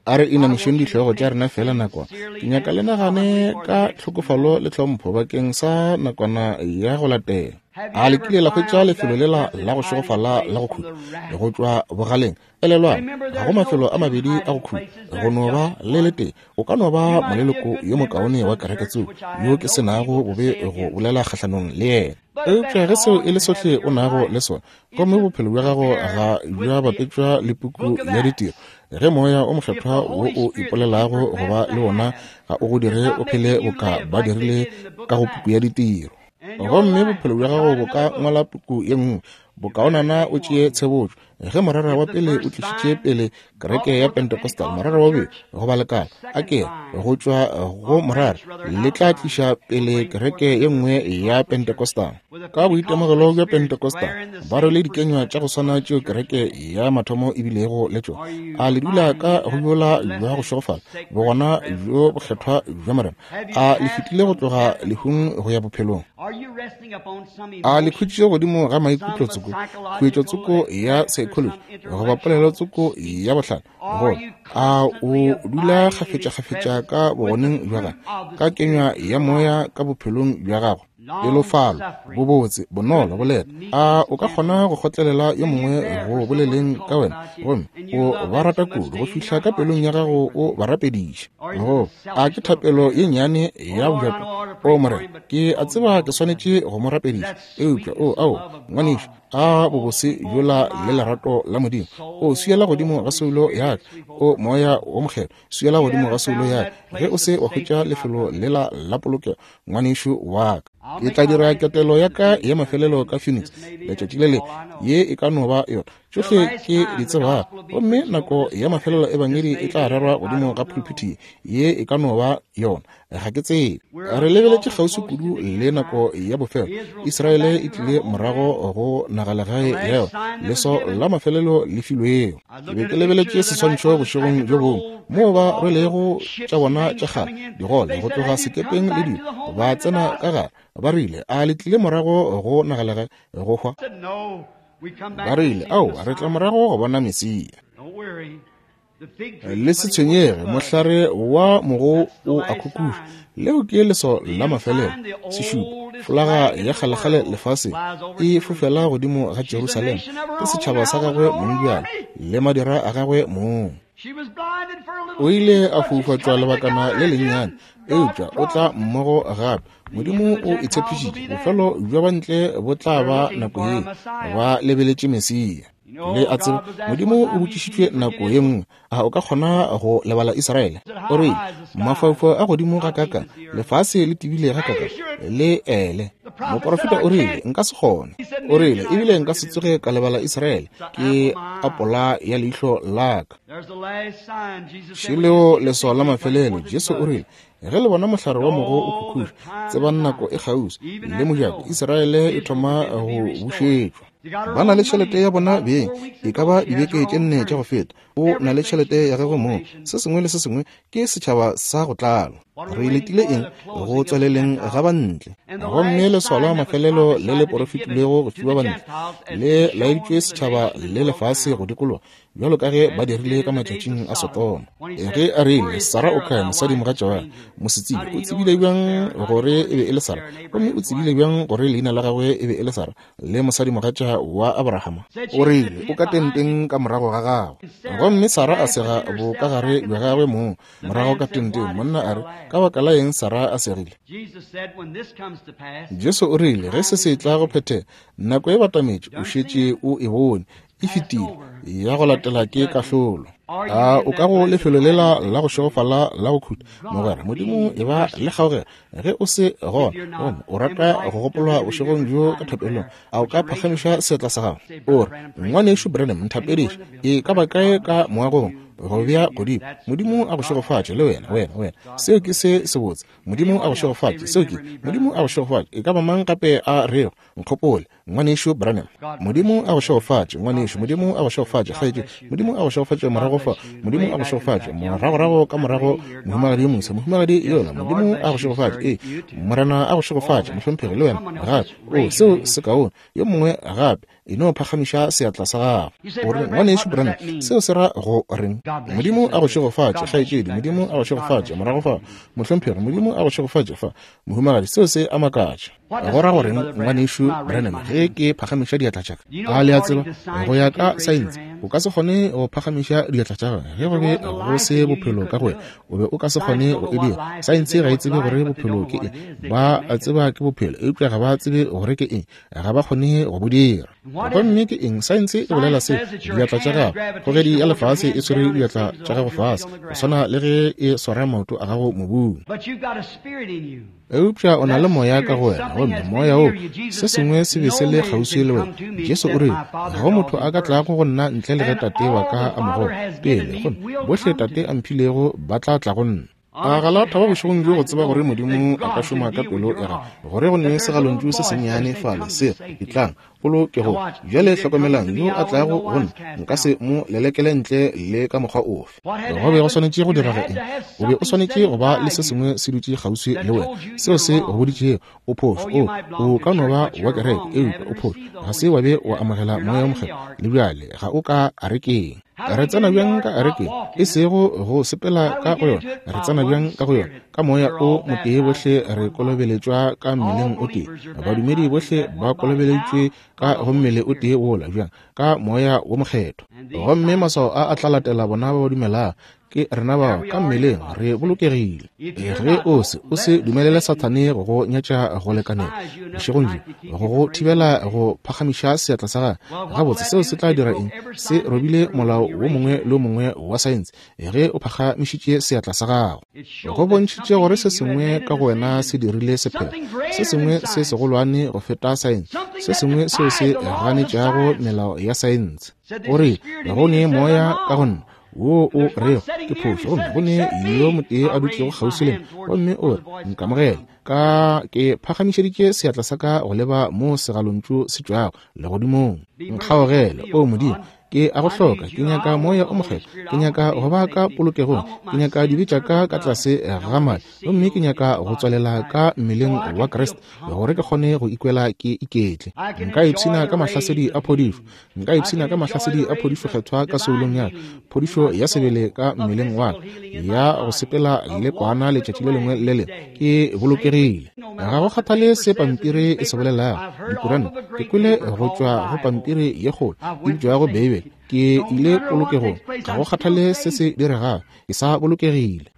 A re inamišeng dihlogo tša rena fela nakwana. Ke nyaka le nagane ka tlhokofalo le tlhompho bakeng sa nakwana ya go latela. A le kile la hwetša lefelo lela la go šegofala la go khuta go tšwa bogaleng? Elelwang, ga go mafelo a mabedi a go khuta, go no ba le letee. O ka no ba moleloko yo mokaone wa kereke tseo yo ke senago bobe go bolela kgahlanong le yena. Eupša ge seo e le sohle o nago le sona, gomme bophelo bja gago ga bja bapetšwa le puku ya ditiro, ge moya o mokgethwa wo o ipolelago go ba le wona ga o go dire o phele boka ba dirile ka go puku ya ditiro, gomme bophelo bja gago bo ka ngwala puku ye nngwe, bokaonana o tšee tshebotšo. Ge morara wa pele o tlišitše pele kereke ya Pentecostal, morara wa bobedi goba lekala a ke go tšwa go morara le tla tliša pele kereke ye nngwe ya Pentecostal. Ka boitemogelo bja Pentecostal ba rwele dikenywa tša go swana tšeo kereke ya mathomo e bilego le tšona. A le dula ka go bjola bja go šegofala bogona bjo bokgethwa bja Morena? A le fetile go tloga lehung go ya bophelong? A le khutšitše godimo ga maikutlo tsoko, khuetšo tsoko ya psychology goba polelo tsoko ya bohlale? Goba a o dula kgafetša-kgafetša ka bogoneng bja gagwe, ka kenywa ya moya ka bophelong bja gago, pelofalo, bobotse, bonolo, boleta? A o ka kgona go kgotlelela yo mongwe go boleleng ka wena, gomme o ba rata kudu go fihla ka pelong ya gago o ba rapediša? Go a ke thapelo ye nnyane ya bojato, o Morena, ke a tseba ke swanetše go mo rapediša, eupša o ao ngwanešu, a bobose bjola le lerato la Modimo, o swiela godimo ga soulo ya ka, o moya wo mokgethwa, swiela godimo ga soulo ya ka, ge o se wa hwetša lefelo lela la polokego, ngwanešu wa ka. Ke tla dira ketelo ya ka ya mafelelo ka Phoenix letšatši le lengwe, ye e ka no ba yona tšohle ke di tsebago, gomme nako ya mafelelo ebangedi e tla rerwa godimo ga pulpiti ye, e ka no ba yona, ga ke tsebe. Re lebeletše kgauswi kudu le nako ya bofelo. Israele e tlile morago go nagalegae ya yona, leso la mafelelo le filwego. Ke be ke lebeletše seswantšho bošegong bjo bongwe moo ba rwelego tša bona tša kgale digole go tloga sekepeng le dilo, ba tsena ka gare. Ba rile, a le tlile morago go nagalegae go hwa? Ba rile, ao, re tla morago go bona Mesia. Le se tshwenyege, mohlare wa mogo o a khukhuša. Leo ke leso la mafelelo, sešupo. Folaga ya kgalekgale lefaseng e fofela godimo ga Jerusalema ke setšhaba sa gagwe mong bjalo le madira a gagwe mong. O ile a foufatšwa lebakana le lennyane, eupša o tla mmogo gape. Modimo o itshepišitše bofelo bja bantle bo tla ba nako ye ba lebeletše Mesia. Le a tseba, Modimo o botšišitšwe nako ye nngwe, a o ka kgona go lebala Israele? O rile, mafaufau a godimo ga kaka, lefase le tebile ga kaka, le ele. Moporofeta o rile, nka se kgone. O rile, ebile nka se tsoge ka lebala Israele, ke apola ya leihlo la ka. Šeleo leswao la mafelelo. Jesu o rile, ge le bona mohlare wa mogo o khukhuša, tsebang nako e kgauswi, le mojako Israele e thoma go bušetšwa. Ba na le tšhelete ya bona beng, e ka ba dibeke tše nne tša go feta. O na le tšhelete ya gagwe mong, se sengwe le se sengwe ke setšhaba sa go tlala. Re letile eng go tswaleleng ga bantle? Gomme leswao la mafelelo le le porofetilwego go fiwa bantle le laeditšwe setšhaba le lefase go dikologa, bjalo ka ge ba dirile ka matšatšing a Sodoma. Ge a rile, Sara o kae, mosadi mogatša wa mosetsebje? O tsebile bjang gore e be e le Sara? Gomme o tsebile bjang gore leina la gagwe e be e le Sara, le mosadi mogatša wa Abrahama? O rile, o ka tenteng ka morago ga gagwe. Gomme Sara a sega bokagare bja gagwe mong morago ka tenteng. Monna a re, ka baka la eng Sara a segile? Jesu o rile, ge se se tla go phethega, nako e batametše, o šetše o e bone. E fetile, ya go latela ke kahlolo. A o ka go lefelo lela la go šegofala la go khuta, mogwera? Modimo e ba le kgaogelo ge o se gona, gomme o rata go gopolwa bošegong bjo ka thapelong. A o ka phagamiša seatla sa gago o re, Ngwanešu Branham, nthapediše? E ka ba kae ka moagong go bea godimo? Modimo a go šegofatše le wena, wena, wena. Seo ke se sebotse. Modimo a go šegofatše. Seo ke Modimo a go šegofatše. E ka ba mang gape a rego, nkgopole, Ngwanešu Branham? Modimo a go šegofatše, ngwanešu. Modimo a go šegofatše, kgaetšedi. Modimo a go šegofatše morago fa. Modimo a go šegofatše moragorago ka morago, mohumagadi yo moswa, mohumagadi yola. Modimo a go šegofatše. Ee, Morena a go šegofatše, mohlomphegi, le wena gape. O, seo se kaone. Yo mongwe gape, e no phagamiša seatla sa gago o re, Ngwanešu Branham, seo se ra go reng? Modimo a go šegofatše, kgaetšedi. Modimo a go šegofatše morago fa, mohlomphegi. Modimo a go šegofatše fa, mohumagadi. Seo se a makatša. Go ra goreng, Ngwanešu Branham, ge ke phagamiša diatla tša ka? A le a tseba, go ya ka saense, o ka se kgone go phagamiša diatla tša gago ge go be go se bophelo ka go wena. O be o ka se kgone go e dira. Saense ga e tsebe gore bophelo ke eng. Ba tseba ke bophelo, eupša ga ba tsebe gore ke eng. Ga ba kgone go bo dira. Gomme ke eng? Saense e bolela se, diatla tša gago, kgogedi ya lefase e swere diatla tša gago fase, go swana le ge e swara maoto a gago mobung. Eupša o na le moya ka go wena, gomme moya wo, se sengwe se be se le kgauswi le wena. Jesu o rile, ga go motho a ka tlago go nna ntle le ge Tate wa ka a mo goga pele, gomme bohle Tate a mphilego ba tla tla go nna. A ga la thaba bošegong bjo go tseba gore Modimo a ka šoma ka pelo ya gago, gore go ne segalontšu se sennyane fale se etlang polokego? Bjale hlokomelang, yo a tlago go nna nka se mo lelekele ntle le ka mokgwa ofe. Go be go swanetše go direga eng? O be o swanetše go ba le se sengwe se dutše kgauswi le wena seo se go boditšego o phošo. O o ka no ba wa kereke, eupša o phošo. Ga se wa be wa amogela Moya o Mokgethwa le bjale, ga o ka arekeng. Re tsena bjang ka arekeng? E sego go sepela ka go yona. Re tsena bjang ka go yona? Ka moya o motee bohle re kolobeletšwa ka mmeleng o tee. Badumedi bohle ba kolobeletšwe ka go mmele o tee wola. Bjang? Ka Moya wo Mokgethwa. Gomme maswao a a tla latela bona ba ba dumelago. Ke rena bao ka mmeleng re bolokegile. Ge o se o se dumelele Sathane go go nyatša go lekanela bošegong bjo, go go thibela go phagamiša seatla sa gagwe, gabotse seo se tla dira eng? Se robile molao wo mongwe le wo mongwe wa saense ge o phagamišitše seatla sa gago. Go bontšhitše gore se sengwe ka go wena se dirile sephetho, se sengwe se segolwane go feta saense, se sengwe seo se ganetšago melao ya saense. O re, go ne moya ka go nna wo o rego ke phošo, gomme go ne yo motee a dutšego kgauswi le nna, gomme o re, nkamogele. Ka ke phagamišeditše seatla sa ka go leba mo segalontšu se tšwago legodimong. Nkgaogele, o Modimo, ke a go hloka. Ke nyaka Moya o Mokgethwa. Ke nyaka go ba ka polokegong. Ke nyaka dibe tša ka ka tlase ga madi, gomme ke nyaka go tswalela ka mmeleng wa Kriste gore ke kgone go ikwela ke iketle. Nka ipshina ka mahlasedi a phodišo. Nka ipshina ka mahlasedi a phodišo kgethwa ka soulong ya ka, phodišo ya sebele ka mmeleng wa ka, ya go sepela le kwana letšatši le lengwe le lengwe. Ke bolokegile. Ga go kgathale se pampiri e se bolelago, dikuranta. Ke kwele go tšwa go pampiri ye kgolo e bitšwago Beibele. Ke ile polokegong. Ga go kgathale se se diregago, ke sa bolokegile.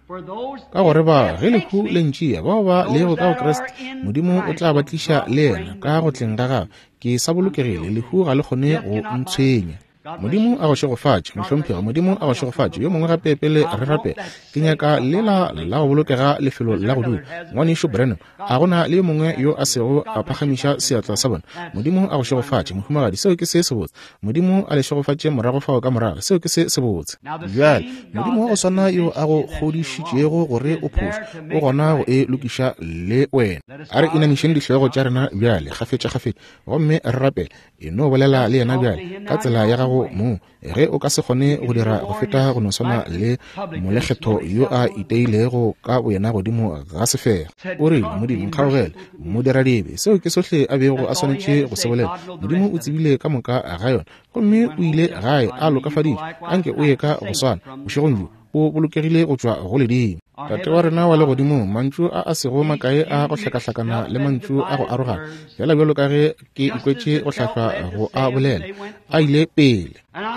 Ka gore ba ge lehu le ntšea, bao ba lego ka go Kriste, Modimo o tla ba tliša le yena ka go tleng ga gagwe. Ke sa bolokegile, lehu ga le kgone go ntshwenya. Modimo a go šegofatše, mohlomphegi. Modimo a go šegofatše. Yo mongwe gape pele re rapela. Ke nyaka lela la go bolokega lefelo la go dula. Ngwanešu Branham, a gona le yo mongwe yo a sego a phagamiša seatla sa bona? Modimo a go šegofatše, mohumagadi. Seo ke se sebotse. Modimo a le šegofatše morago fao ka morago. Seo ke se sebotse. Bjale, Modimo wa go swana yo a go kgodišitšego gore o phošo, o gona go e lokiša le wena. A re inamišeng dihlogo tša rena bjale, kgafetša-kgafetša, gomme re rapele. E no bolela le yena bjale ka tsela ya gago mong. Ge o ka se kgone go dira go feta go no swana le molekgetho yo a iteilego ka boyena godimo ga sefega. O rile, Modimo nkgaogele, modiradibe. Seo ke sohle a bego a swanetše go se bolela. Modimo o tsebile ka moka ga yona, gomme o ile gae a lokafaditšwe. Anke o ye ka go swana bošegong bjo, o bolokegile go tšwa go ledimo. Tate wa rena wa legodimong, mantšu a a sego makae a go hlakahlakana le mantšu a go arogana, fela bjalo ka ge ke ikwetše go hlahlwa go a bolela, a ile pele.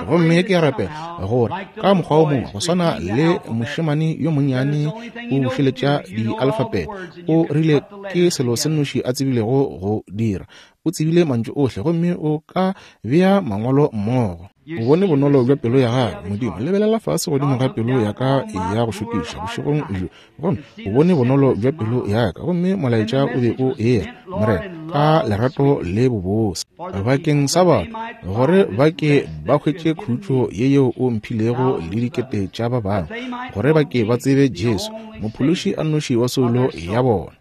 Gomme ke a rapela gore ka mokgwa o mongwe, go swana le mošemane yo monnyane o bušeletša dialfapete, o rile ke selo se nnoši a tsebilego go dira. O tsebile mantšu ohle, gomme o ka bea mangwalo mmogo. O bone bonolo bja pelo ya gagwe. Modimo, lebelela fase godimo ga pelo ya ka ya go šokiša bošegong bjo, gomme o bone bonolo bja pelo ya ka. Gomme molaetša o be o eya, Morena, ka lerato le bobose bakeng sa batho, gore ba ke ba hwetše khutšo ye yeo o mphilego le dikete tša ba bangwe, gore ba ke ba tsebe Jesu, mophološi a nnoši wa soulo ya bona,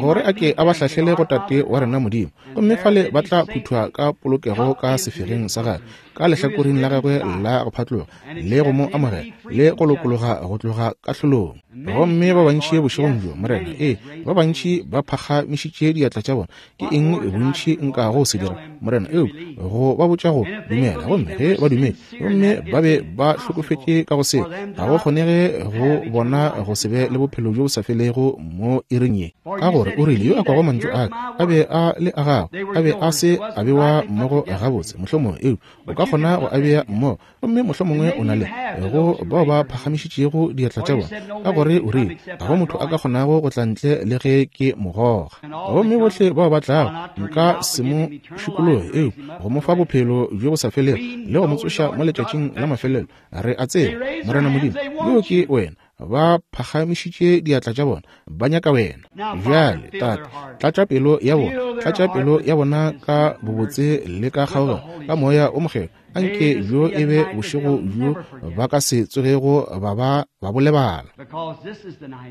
gore a ke a ba hlahlele go Tate wa rena Modimo. Gomme fale ba tla phuthwa ka polokego ka sefegeng sa gagwe, ka lehlakoreng la gagwe la go phatloga, le go mo amogela le go lokologa go tloga kahlolong. Gomme ba bantši bošegong bjo, Morena, ee, ba bantši ba phagamišitše diatla tša bona. Ke eng bontši nkago se dira, Morena, eupša go ba botša go dumela? Gomme ge ba dumele, gomme ba be ba hlokofetše ka go seo, ga go kgonege go bona go se be le bophelo bjo bo sa felego mo iring ye. Ka gore o rile, yo a kwago mantšu a ka a be a le a gago, a be a se a bewa mmogo gabotse, mohlomongwe, eupša o ka kgona go a bea mmogo, gomme mohlomongwe o na le go bao ba phagamišitšego diatla tša bona, ka gore o rile ga go motho a ka kgonago go tla ntle le ge ke mo goga. Gomme bohle bao ba tlago nka se mo šikologe, eupša go mo fa bophelo bjo bo sa felego le go mo tsoša mo letšatšing la mafelelo. Re a tseba, Morena Modimo, yo ke wena. Ba phagamišitše diatla tša bona, ba nyaka wena. Bjale, Tate, tlatša pelo ya bona, tlatša pelo ya bona ka bobotse le ka kgaogelo, ka moya o mokgethwa. Anke bjo e be bošego bjo ba ka se tsogego ba ba ba bo lebala,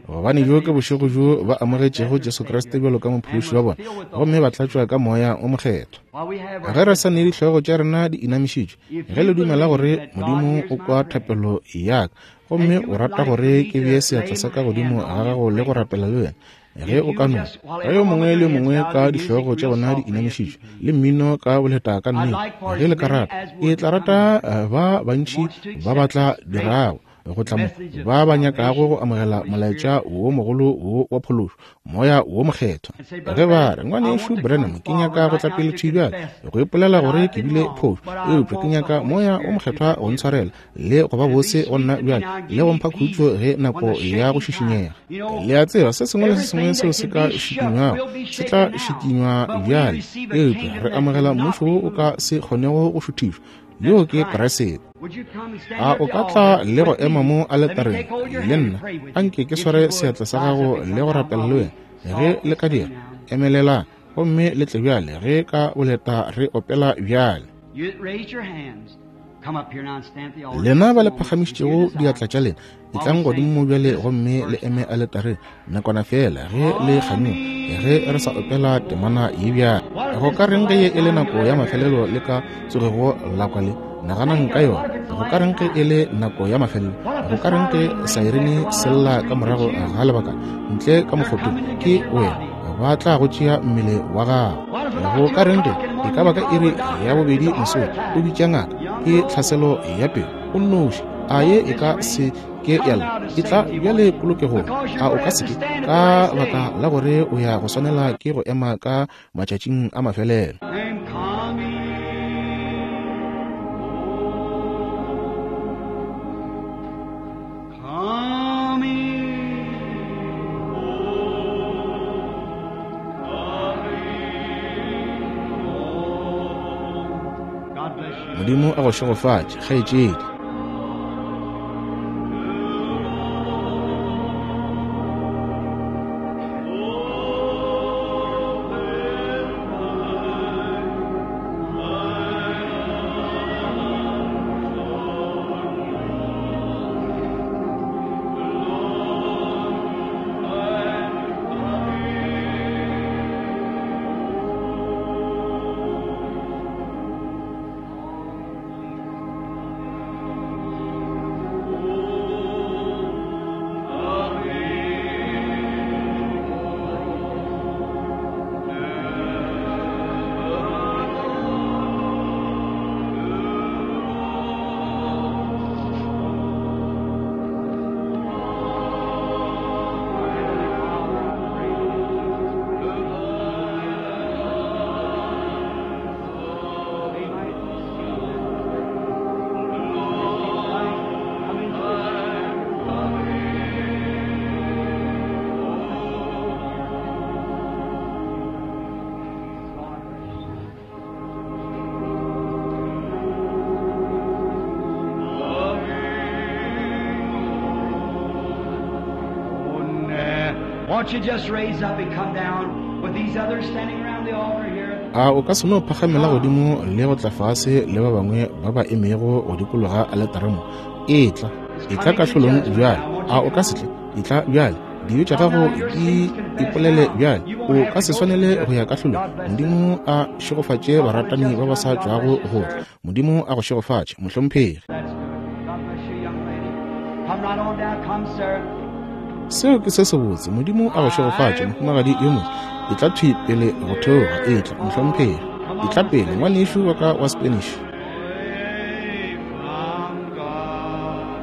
gobane bjo ke bošego bjo ba amogetšego Jesu Kriste bjalo ka mophološi wa bona, gomme ba tlatšwa ka moya o mokgethwa. Ge re sa ne dihlogo tša rena di inamišitšwe, ge le dumela gore Modimo o kwa thapelo ya ka, gomme o rata gore ke bee seatla sa ka godimo ga gago le go rapela le wena, ge o ka no ge yo mongwe le mongwe ka dihlogo tša bona di inamišitšwe le mmino ka boleta ka nnete, ge le ka rata, ke tla rata ba bantši ba ba tla dirago go tla mo, ba ba nyakago go amogela molaetša wo mogolo wo wa phološo, moya wo mokgethwa. Ge ba re, Ngwanešu Branham, ke nyaka go tla pele thwi bjale go ipolela gore ke bile phošo, eupša ke nyaka moya wo mokgethwa go ntshwarela le go ba bose go nna bjale le go mpha khutšo ge nako ya go šišinyega. Le a tseba, se sengwe le se sengwe seo se ka šikinywago se tla šikinywa bjale, eupša re amogela mmušo wo o ka se kgonego go šuthišwa, yo ke Kriste. A o ka tla le go ema mo aletareng le nna? Anke ke sware seatla sa gago le go rapela le wena. Ge le ka dira, emelelang gomme le tle bjale ge ka boleta re opela bjale. Lena ba le phagamišitšego diatla tša lena, etlang godimo mo bjale gomme le eme aletareng nakwana fela ge le kganyoga, ge re sa opela temana ye bjale. Go ka reng ge ye e le nako ya mafelelo le ka tsogego la kwa le? Naganang ka yona. Go ka reng ge e le nako ya mafelelo? Go ka reng ge saerene sella ka morago ga lebaka ntle ka mokgotong ke wena, ba tla go tšea mmele wa gago? Go ka reng ge e ka ba ka iri ya bobedi mosong o bitša ngaka, ke tlhaselo ya pelo, o nnoši, a ye e ka se ke ya lla, e tla bjale polokegong? A o ka se ke, ka baka la gore o ya go swanela ke go ema ka matšatšing a mafelelo? Modimo a go šegofatše, kgaetšedi. Won't you just raise up and come down with these others standing around the altar here? A o ka se no phagamela godimo le go tla fase le ba bangwe ba ba emego go dikologa aletare mo? Etla, etla kahlolong bjale. A o ka se tle? Etla bjale. Dibe tša gago di ipolele bjale. O ka se swanele go ya kahlolong. Modimo a šegofatše baratani ba ba sa tšwago go tla. Modimo a go šegofatše, mohlomphegi. That's good. God bless you, young lady. Come right on down. Come, sir. Seo ke se sebotse. Modimo a go šegofatše, mohumagadi yo mongwe. Etla thwi pele go theoga. Etla, mohlomphegi. Etla pele, ngwanešu wa ka wa Spanish. Away from God.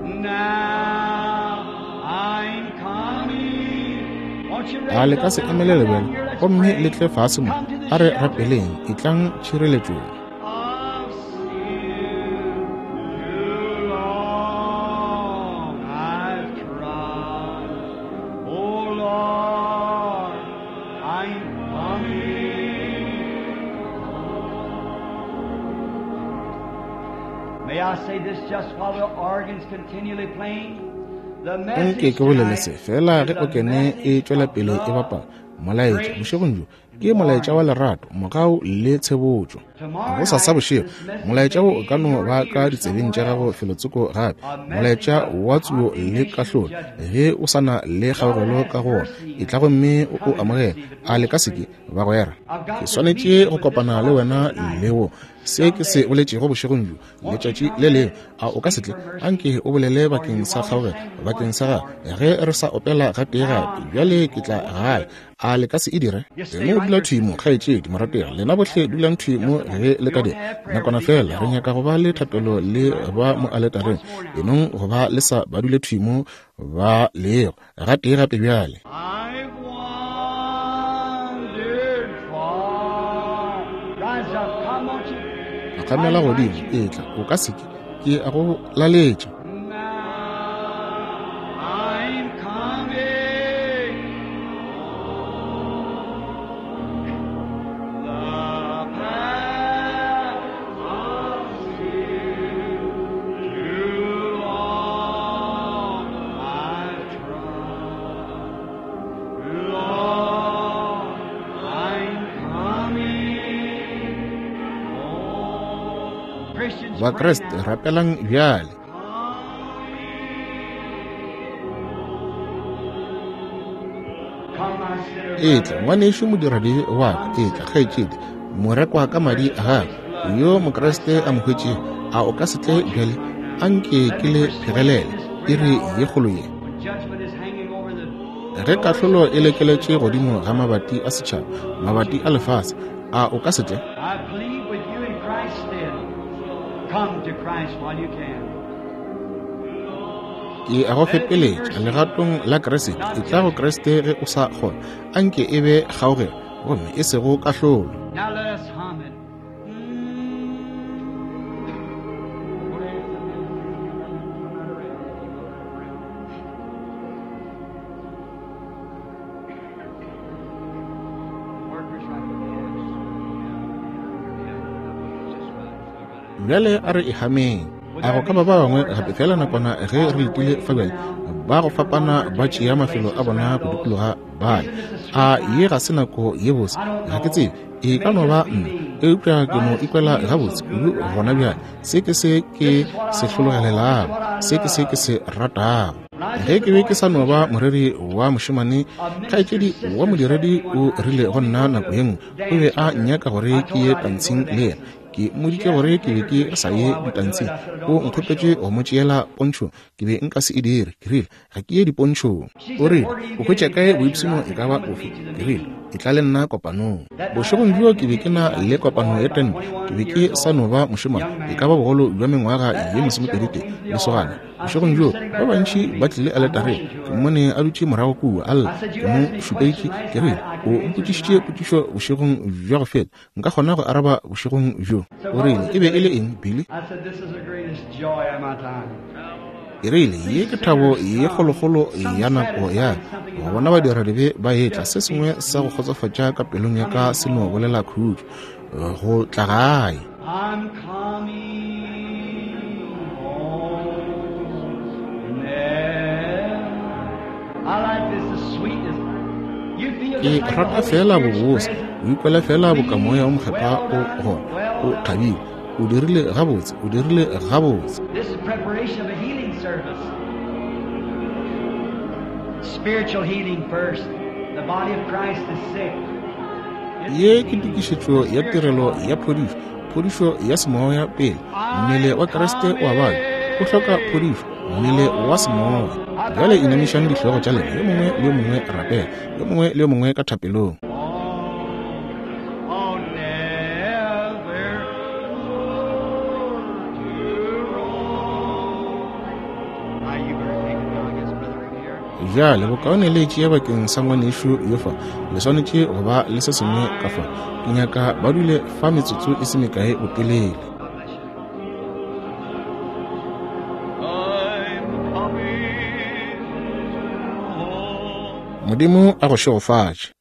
Now I'm coming. Won't you A raise le ka up se now? emelele Come down bjale here. Let's gomme pray. le tle fase mo. Come to the A re shelter rapeleng. Etlang tšhireletšong. of sin. Too long I've trod. Oh Lord, I'm coming. May I say this just while the organ's continually playing? The Nke message ke bolele tonight se fela is ge a okene e message tšwela of pele e love, bapala. Molaetša grace, bošegong bjo and ke molaetša wa warning. lerato, mogau le tshebotšo. Tomorrow Go sasa night, bošego, this message molaetša may wo be o ka in no your ba ka ears ditsebeng tša somewhere gago else. felotsoko gape. A message Molaetša of wa tsuo le condemnation and kahlolo. judgment. Ge o sa na le God kgaogelo has ka go wona, mercy etla gomme o o coming to amogele. receive it. A Won't le ka you se ke pray? bagwera? I've Ke got to meet swanetše you go with this kopana le prophet wena tonight, le wo. Se ke se someday. boletšego bošegong bjo, Won't you letšatši come le and lengwe. A o ka se speak tle? for mercy? Anke o bolele For you bakeng sa while we kgaogelo, sing bakeng once sa more. gagwe. Ge re sa opela gatee Now gape, I'm bjale coming ke tla home. gae. A le ka se e dire? You stay Eno right dula there, thwi mo, sister. kgaetšedi morategi. Lena bohle dulang thwi Just mo a ge moment. le We ka want to dira. have prayer Nakwana with these at fela, the re nyaka altar. go ba le Just thapelo le right ba on mo down. aletareng. Once more now. Enong go ba le sa ba dule thwi mo ba lego. Gatee gape bjale. I've wandered far. Rise up, come, won't you? I Phagamela invite godimo, you. etla. O ka se ke. Ke a go laletša. Now I'm coming. The path of sin too long I've trod. Lord, I'm coming home. Christians, pray Bakriste, now. rapelang bjale. Come, my sinner Etla, brother. ngwanešu modiradibe wa ka, Come, etla, sister. kgaetšedi, morekwa ka madi a gagwe, yo Mokriste a mo hwetšego. A o ka se tle Won't you bjale? come now? Anke Let ke me le persuade phegelele this iri great hour ye kgolo ye. when judgment is hanging over the Ge doors kahlolo of e the nation, the lekeletše doors of godimo the ga world. mabati a setšhaba, Won't you mabati a come? lefase, a o ka se tle? I plead with you in Christ's stead. Come to Christ while you can. Ke a go Let it be fepeletša mercy, legatong la Kriste. not Etla go judgment. Kriste ge o sa kgona. Anke e be kgaogelo gomme e sego kahlolo. Now let us hum it. Workers right Bjale a re e hameng. Would A there go ka be ba ba some bangwe more gape just fela coming nakwana ge while re we're letile waiting fa bjale now? ba go Different fapana ones are ba taking tšea their mafelo places a bona around go those. dikologa bale. Isn't this a sweet A ye time? ga se nako ye botse? I don't Ga ke know. tsebe, e It ka may no ba just be nna, me, eupša but ke I no just ikwela feel so gabotse kudu good right gona now. bjale. Se ke se ke This is what se I long. This is hlologelelago, what I se ke se ke love. se ratago. When I was Ge just ke a be boy ke sa no ba preacher, moreri wa mošemane, a minister's kgaetšedi wa sister said to modiredi me one o time, she rile go wanted me nna to go nako to ye a nngwe, o be dance a with her. nyaka gore I ke told ye her I didn't go to tantshing le yena. dances. Ke She mmoditše asked gore me to ke be take her to ke a sa show. ye I wouldn't do it. ditantshing. I said, I O don't go to nkgopetše shows. go mo tšeela pontšho, ke be nka se e dire. Ke rile, ga ke ye dipontšhong. She O said, rile, Where do you o get hwetša any kae pleasure? boipshino I e said, ka ba Come with ofe? me to the Ke rile, meeting. etla le nna kopanong. That night I Bošegong was bjo having ke a be ke tent na meeting. I le was just a kopano boy, ya about tente. Ke twenty-one be ke years sa old, no ba mošemane, young e man. ka ba bogolo bja mengwaga That ye night several masomepeditee came to the lesogana. altar. I Bošegong seen her bjo sitting ba back there bantši weeping. ba tlile I aletareng. motioned to Ke her. mmone a dutše morago kua a lla. I said, Ke You mo asked me a šupeditše question last ke rile, night. I o can answer mpotšišitše tonight. potšišo bošegong bja go feta. Nka kgona go araba bošegong bjo. So O what rile, was e it, be e le Billy? eng, Billy? I said, This is the greatest joy of my time. Ke rile, See ye ke thabo sinners ye come, kgolokgolo some ya nako ya satisfying ka. something in Go my bona heart badiradibe ba etla, just se sengwe beats sa go me kgotsofatša ka pelong ya ka coming se no home. bolela khutšo. Go tla gae. I'm coming home. Never. I like this, the sweet Ke rata fela bobose, o ikwela fela boka Moya wo Mokgethwa o gona, o thabile, o dirile gabotse, o dirile gabotse. This is preparation of a healing service. Spiritual healing first. The body of Christ is sick. Ye ke tokišetšo ya tirelo ya phodišo, phodišo ya semoya pele. Mmele wa Kriste o a babja, o hloka phodišo, mmele wa semoya. Bjale inamišang dihlogo tša lena, yo mongwe le yo mongwe rapela, yo mongwe le yo mongwe ka thapelong. Oh, never to roam. Now you better take it now, I guess, brother, from here. Bjale bokaone le tšee bakeng sa ngwanešu yo fa, le swanetše go ba le se sengwe ka fa. Ke nyaka ba dule fa metsotso e se mekae botelele. God bless you. I'm coming home. Modimo a go šegofatše.